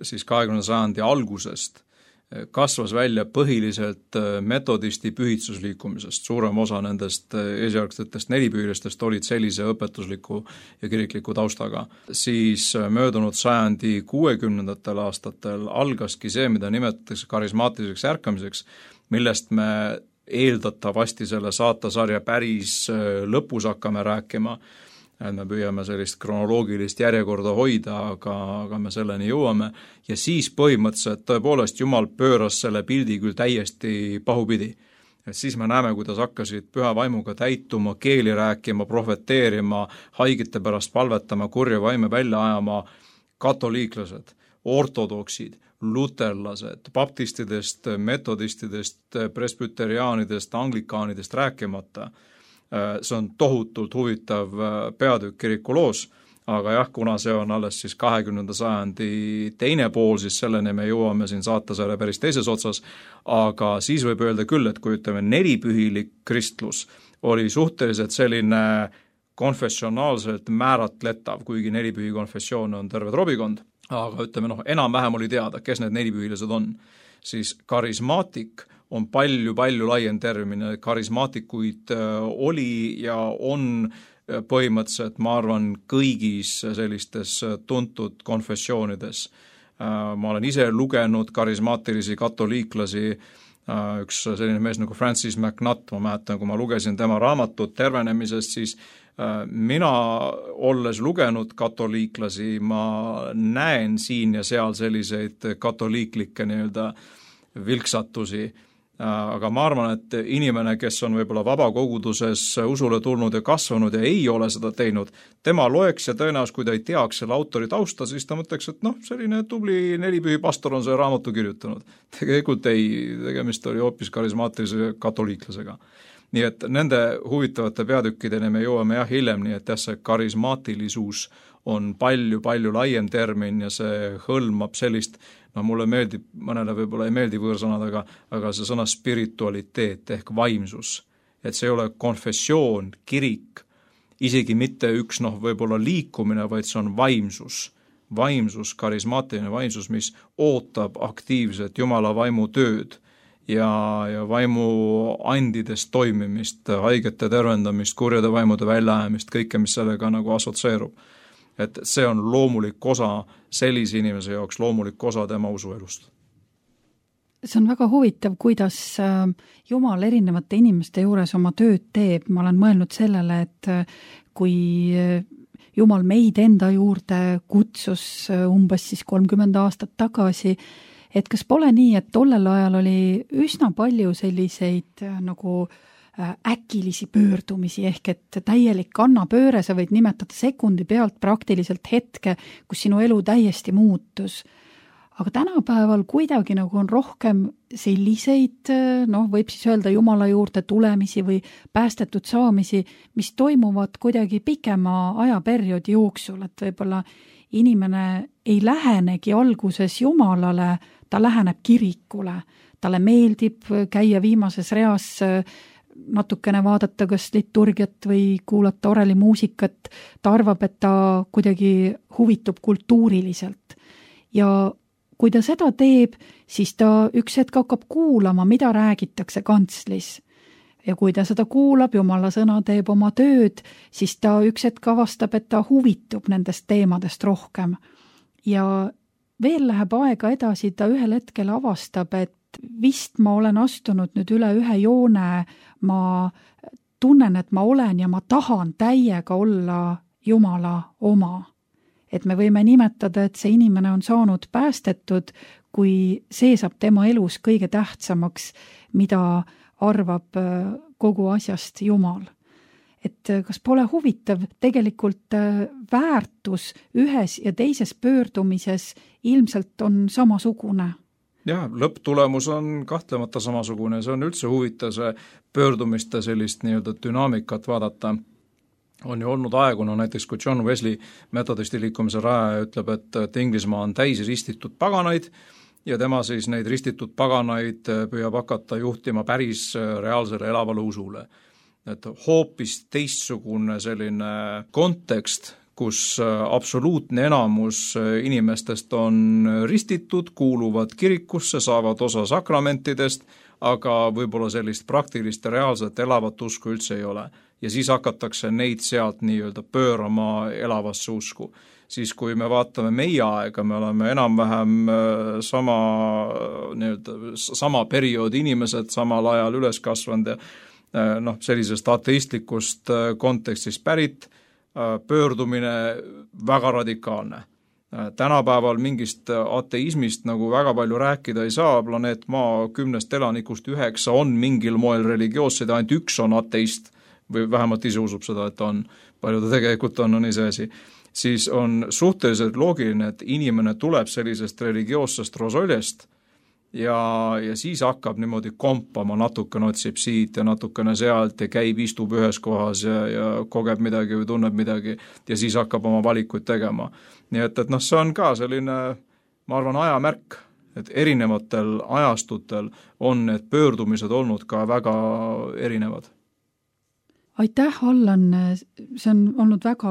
siis kahekümnenda sajandi algusest kasvas välja põhiliselt metodisti pühitsusliikumisest. Suurem osa nendest esialgsetest nelipühilistest olid sellise õpetusliku ja kirikliku taustaga. Siis möödunud sajandi kuuekümnendatel aastatel algaski see, mida nimetatakse karismaatiliseks ärkamiseks, millest me eeldatavasti selle saatasarja päris lõpus hakkame rääkima. Me püüame sellist kronoloogilist järjekorda hoida, aga, aga me selleni jõuame. Ja siis põhimõtteliselt tõepoolest Jumal pööras selle pildi küll täiesti pahupidi. Et siis me näeme, kuidas hakkasid püha vaimuga täituma, keeli rääkima, profeteerima, haigete pärast palvetama, kurja vaime välja ajama katoliiklased, ortodoksid, luterlased, baptistidest, metodistidest, presbyteriaanidest, anglikaanidest rääkimata. See on tohutult huvitav peatükk kirikuloos, aga jah, kuna see on alles siis kahekümnenda sajandi teine pool, siis selleni me jõuame siin saatasarja päris teises otsas, aga siis võib öelda küll, et kui ütleme nelipühilik kristlus oli suhteliselt selline konfessionaalselt määratletav, kuigi nelipühi konfessioon on terve trobikond, aga ütleme, noh, enam-vähem oli teada, kes need nelipühilised on, siis karismaatik on palju-palju laiem termin, karismaatikuid oli ja on põhimõtteliselt, ma arvan, kõigis sellistes tuntud konfessioonides. Ma olen ise lugenud karismaatilisi katoliiklasi, üks selline mees nagu Francis McNutt, ma mäletan, kui ma lugesin tema raamatut tervenemisest, siis mina, olles lugenud katoliiklasi, ma näen siin ja seal selliseid katoliiklikke nii-öelda vilksatusi. Aga ma arvan, et inimene, kes on võib-olla vabakoguduses usule tulnud ja kasvanud ja ei ole seda teinud, tema loeks ja tõenäoliselt, kui ta ei teaks selle autori tausta, siis ta mõtleks, et noh, selline tubli nelipühi pastor on see raamatu kirjutanud. Tegelikult ei, tegemist oli hoopis karismaatilise katoliiklasega. Nii et nende huvitavate peatükkideni me jõuame jah hiljem, nii et jah, see karismaatilisus on palju-palju laiem termin ja see hõlmab sellist, no mulle meeldib, mõnele võib-olla ei meeldi võõrsõnad, aga, aga see sõna spiritualiteet ehk vaimsus. Et see ei ole konfessioon, kirik, isegi mitte üks noh, võib-olla liikumine, vaid see on vaimsus. Vaimsus, karismaatiline vaimsus, mis ootab aktiivset Jumala vaimu tööd ja, ja vaimu andidest toimimist, haigete tervendamist, kurjade vaimude väljaajamist, kõike, mis sellega nagu asotseerub. Et see on loomulik osa sellise inimese jaoks, loomulik osa tema usuelust. See on väga huvitav, kuidas Jumal erinevate inimeste juures oma tööd teeb. Ma olen mõelnud sellele, et kui Jumal meid enda juurde kutsus umbes siis kolmkümmend aastat tagasi, et kas pole nii, et tollel ajal oli üsna palju selliseid nagu äkilisi pöördumisi, ehk et täielik kannapööre, sa võid nimetada sekundi pealt praktiliselt hetke, kus sinu elu täiesti muutus. Aga tänapäeval kuidagi nagu on rohkem selliseid, noh, võib siis öelda Jumala juurde tulemisi või päästetud saamisi, mis toimuvad kuidagi pikema ajaperioodi jooksul, et võib-olla inimene ei lähenegi alguses Jumalale, ta läheneb kirikule, talle meeldib käia viimases reas natukene vaadata kas liturgiat või kuulata orelimuusikat, ta arvab, et ta kuidagi huvitub kultuuriliselt. Ja kui ta seda teeb, siis ta üks hetk hakkab kuulama, mida räägitakse kantslis. Ja kui ta seda kuulab, Jumala sõna teeb oma tööd, siis ta üks hetk avastab, et ta huvitub nendest teemadest rohkem. Ja veel läheb aega edasi, ta ühel hetkel avastab, et vist ma olen astunud nüüd üle ühe joone, ma tunnen, et ma olen ja ma tahan täiega olla Jumala oma. Et me võime nimetada, et see inimene on saanud päästetud, kui see saab tema elus kõige tähtsamaks, mida arvab kogu asjast Jumal. Et kas pole huvitav, tegelikult väärtus ühes ja teises pöördumises ilmselt on samasugune. Jah, lõpptulemus on kahtlemata samasugune, see on üldse huvitav see pöördumiste sellist nii-öelda dünaamikat vaadata. On ju olnud aegu, no näiteks kui John Wesley metodisti liikumise raja ütleb, et, et Inglismaa on täis ristitud paganaid ja tema siis neid ristitud paganaid püüab hakata juhtima päris reaalsele elavale usule. Et hoopis teistsugune selline kontekst, kus absoluutne enamus inimestest on ristitud, kuuluvad kirikusse, saavad osa sakramentidest, aga võib-olla sellist praktilist ja reaalset elavat usku üldse ei ole. Ja siis hakatakse neid sealt nii-öelda pöörama elavasse usku. Siis kui me vaatame meie aega, me oleme enam-vähem sama, nii-öelda, sama perioodi inimesed samal ajal üles kasvanud ja noh, sellisest ateistlikust kontekstist pärit, pöördumine väga radikaalne. Tänapäeval mingist ateismist nagu väga palju rääkida ei saa, planeet Maa kümnest elanikust üheksa on mingil moel religioossed, ainult üks on ateist, või vähemalt ise usub seda, et on, palju ta tegelikult on, on ise asi, siis on suhteliselt loogiline, et inimene tuleb sellisest religioossest rosoljest ja, ja siis hakkab niimoodi kompama, natukene otsib siit ja natukene sealt ja käib, istub ühes kohas ja, ja kogeb midagi või tunneb midagi ja siis hakkab oma valikuid tegema. Nii et, et noh, see on ka selline, ma arvan, ajamärk, et erinevatel ajastutel on need pöördumised olnud ka väga erinevad. Aitäh, Allan, see on olnud väga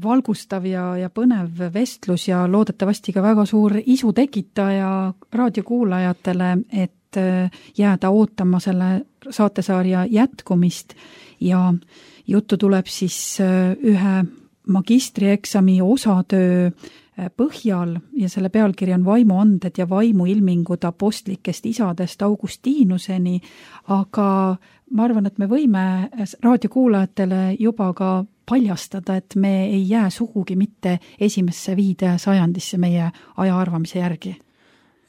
valgustav ja, ja põnev vestlus ja loodetavasti ka väga suur isu tekitaja raadiokuulajatele, et jääda ootama selle saatesarja jätkumist ja juttu tuleb siis ühe magistrieksami osatöö põhjal ja selle pealkiri on Vaimuanded ja vaimuilmingud apostlikest isadest Augustiinuseni, aga ma arvan, et me võime raadiokuulajatele juba ka paljastada, et me ei jää sugugi mitte esimesse viide sajandisse meie aja arvamise järgi.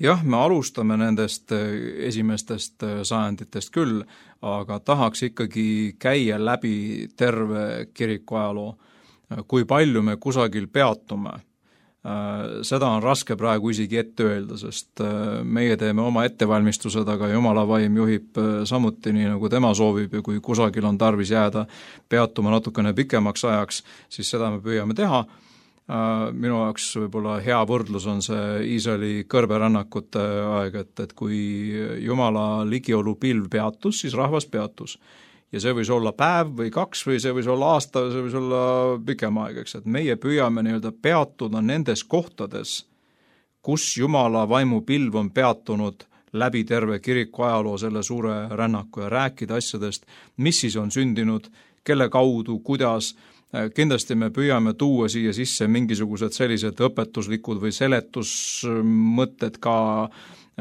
Jah, me alustame nendest esimestest sajanditest küll, aga tahaks ikkagi käia läbi terve kiriku ajaloo. Kui palju me kusagil peatume, seda on raske praegu isegi ette öelda, sest meie teeme oma ettevalmistused, aga Jumala vaim juhib samuti nii, nagu tema soovib ja kui kusagil on tarvis jääda peatuma natukene pikemaks ajaks, siis seda me püüame teha. Minu jaoks võib-olla hea võrdlus on see Iisraeli kõrberännakute aeg, et, et kui Jumala ligiolu pilv peatus, siis rahvas peatus. Ja see võis olla päev või kaks või see võis olla aasta, see võis olla pikem aeg, eks, et meie püüame nii-öelda peatuda nendes kohtades, kus Jumala vaimupilv on peatunud läbi terve kiriku ajaloo selle suure rännaku ja rääkida asjadest, mis siis on sündinud, kelle kaudu, kuidas. Kindlasti me püüame tuua siia sisse mingisugused sellised õpetuslikud või seletusmõtted ka,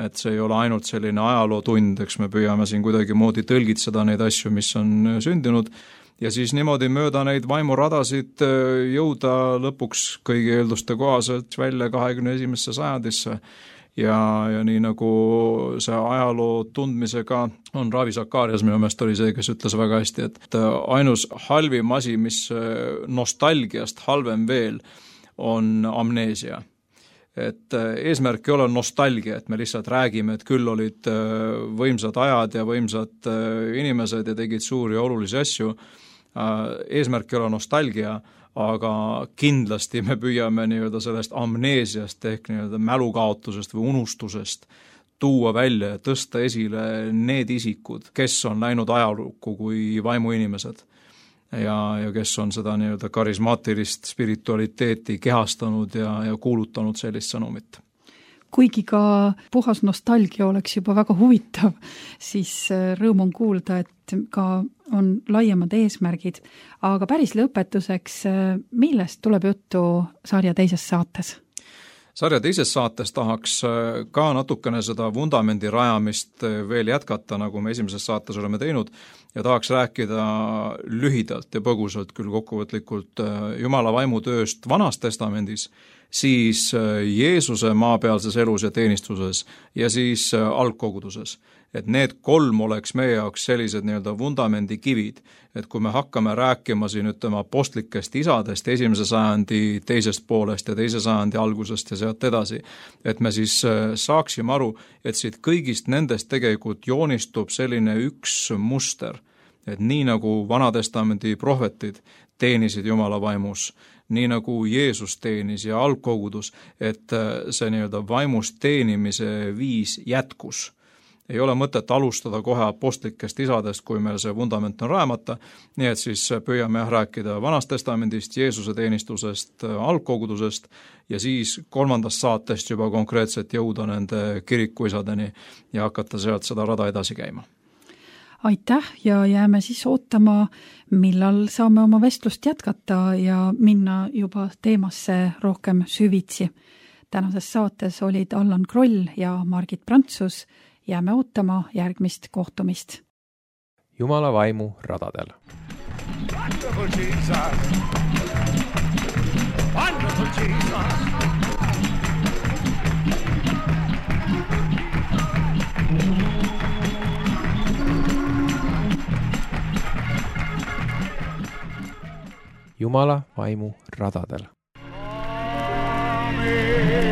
et see ei ole ainult selline ajalootund, eks me püüame siin kuidagi moodi tõlgitseda neid asju, mis on sündinud ja siis niimoodi mööda neid vaimuradasid jõuda lõpuks kõigi eelduste kohaselt välja kahekümne esimesse sajandisse. Ja, ja nii nagu see ajaloo tundmisega on Ravi Zakarias minu meelest oli see, kes ütles väga hästi, et ainus halvim asi, mis nostalgiast halvem veel, on amneesia. Et eesmärk ei ole nostalgia, et me lihtsalt räägime, et küll olid võimsad ajad ja võimsad inimesed ja tegid suuri ja olulisi asju. Eesmärk ei ole nostalgia, aga kindlasti me püüame nii-öelda sellest amneesiast ehk nii-öelda mälukaotusest või unustusest tuua välja ja tõsta esile need isikud, kes on läinud ajalukku kui vaimuinimesed ja, ja kes on seda nii-öelda karismaatilist spiritualiteeti kehastanud ja, ja kuulutanud sellist sõnumit. Kuigi ka puhas nostalgia oleks juba väga huvitav, siis rõõm on kuulda, et ka on laiemad eesmärgid, aga päris lõpetuseks, millest tuleb juttu sarja teises saates? Sarja teises saates tahaks ka natukene seda vundamendi rajamist veel jätkata, nagu me esimeses saates oleme teinud, ja tahaks rääkida lühidalt ja põgusalt küll kokkuvõtlikult Jumala vaimutööst Vanas testamendis, siis Jeesuse maapealses elus ja teenistuses ja siis algkoguduses. Et need kolm oleks meie jaoks sellised nii-öelda vundamendi kivid, et kui me hakkame rääkima siin ütleme apostlikest isadest esimese sajandi teisest poolest ja teise sajandi algusest ja sealt edasi, et me siis saaksime aru, et siit kõigist nendest tegelikult joonistub selline üks muster, et nii nagu Vanatestamendi prohvetid teenisid Jumala vaimus, nii nagu Jeesus teenis ja algkogudus, et see nii-öelda vaimust teenimise viis jätkus. Ei ole mõtet alustada kohe apostlikest isadest, kui meil see vundament on rajamata, nii et siis püüame rääkida Vanast testamendist, Jeesuse teenistusest, algkogudusest ja siis kolmandast saatest juba konkreetselt jõuda nende kirikuisadeni ja hakata sealt seda rada edasi käima. Aitäh ja jääme siis ootama, millal saame oma vestlust jätkata ja minna juba teemasse rohkem süvitsi. Tänases saates olid Allan Kroll ja Margit Prantsus. Jääme ootama järgmist kohtumist. Jumala vaimu radadel. Wonderful Jesus. Wonderful Jesus. Jumala vaimu radadel. Amen.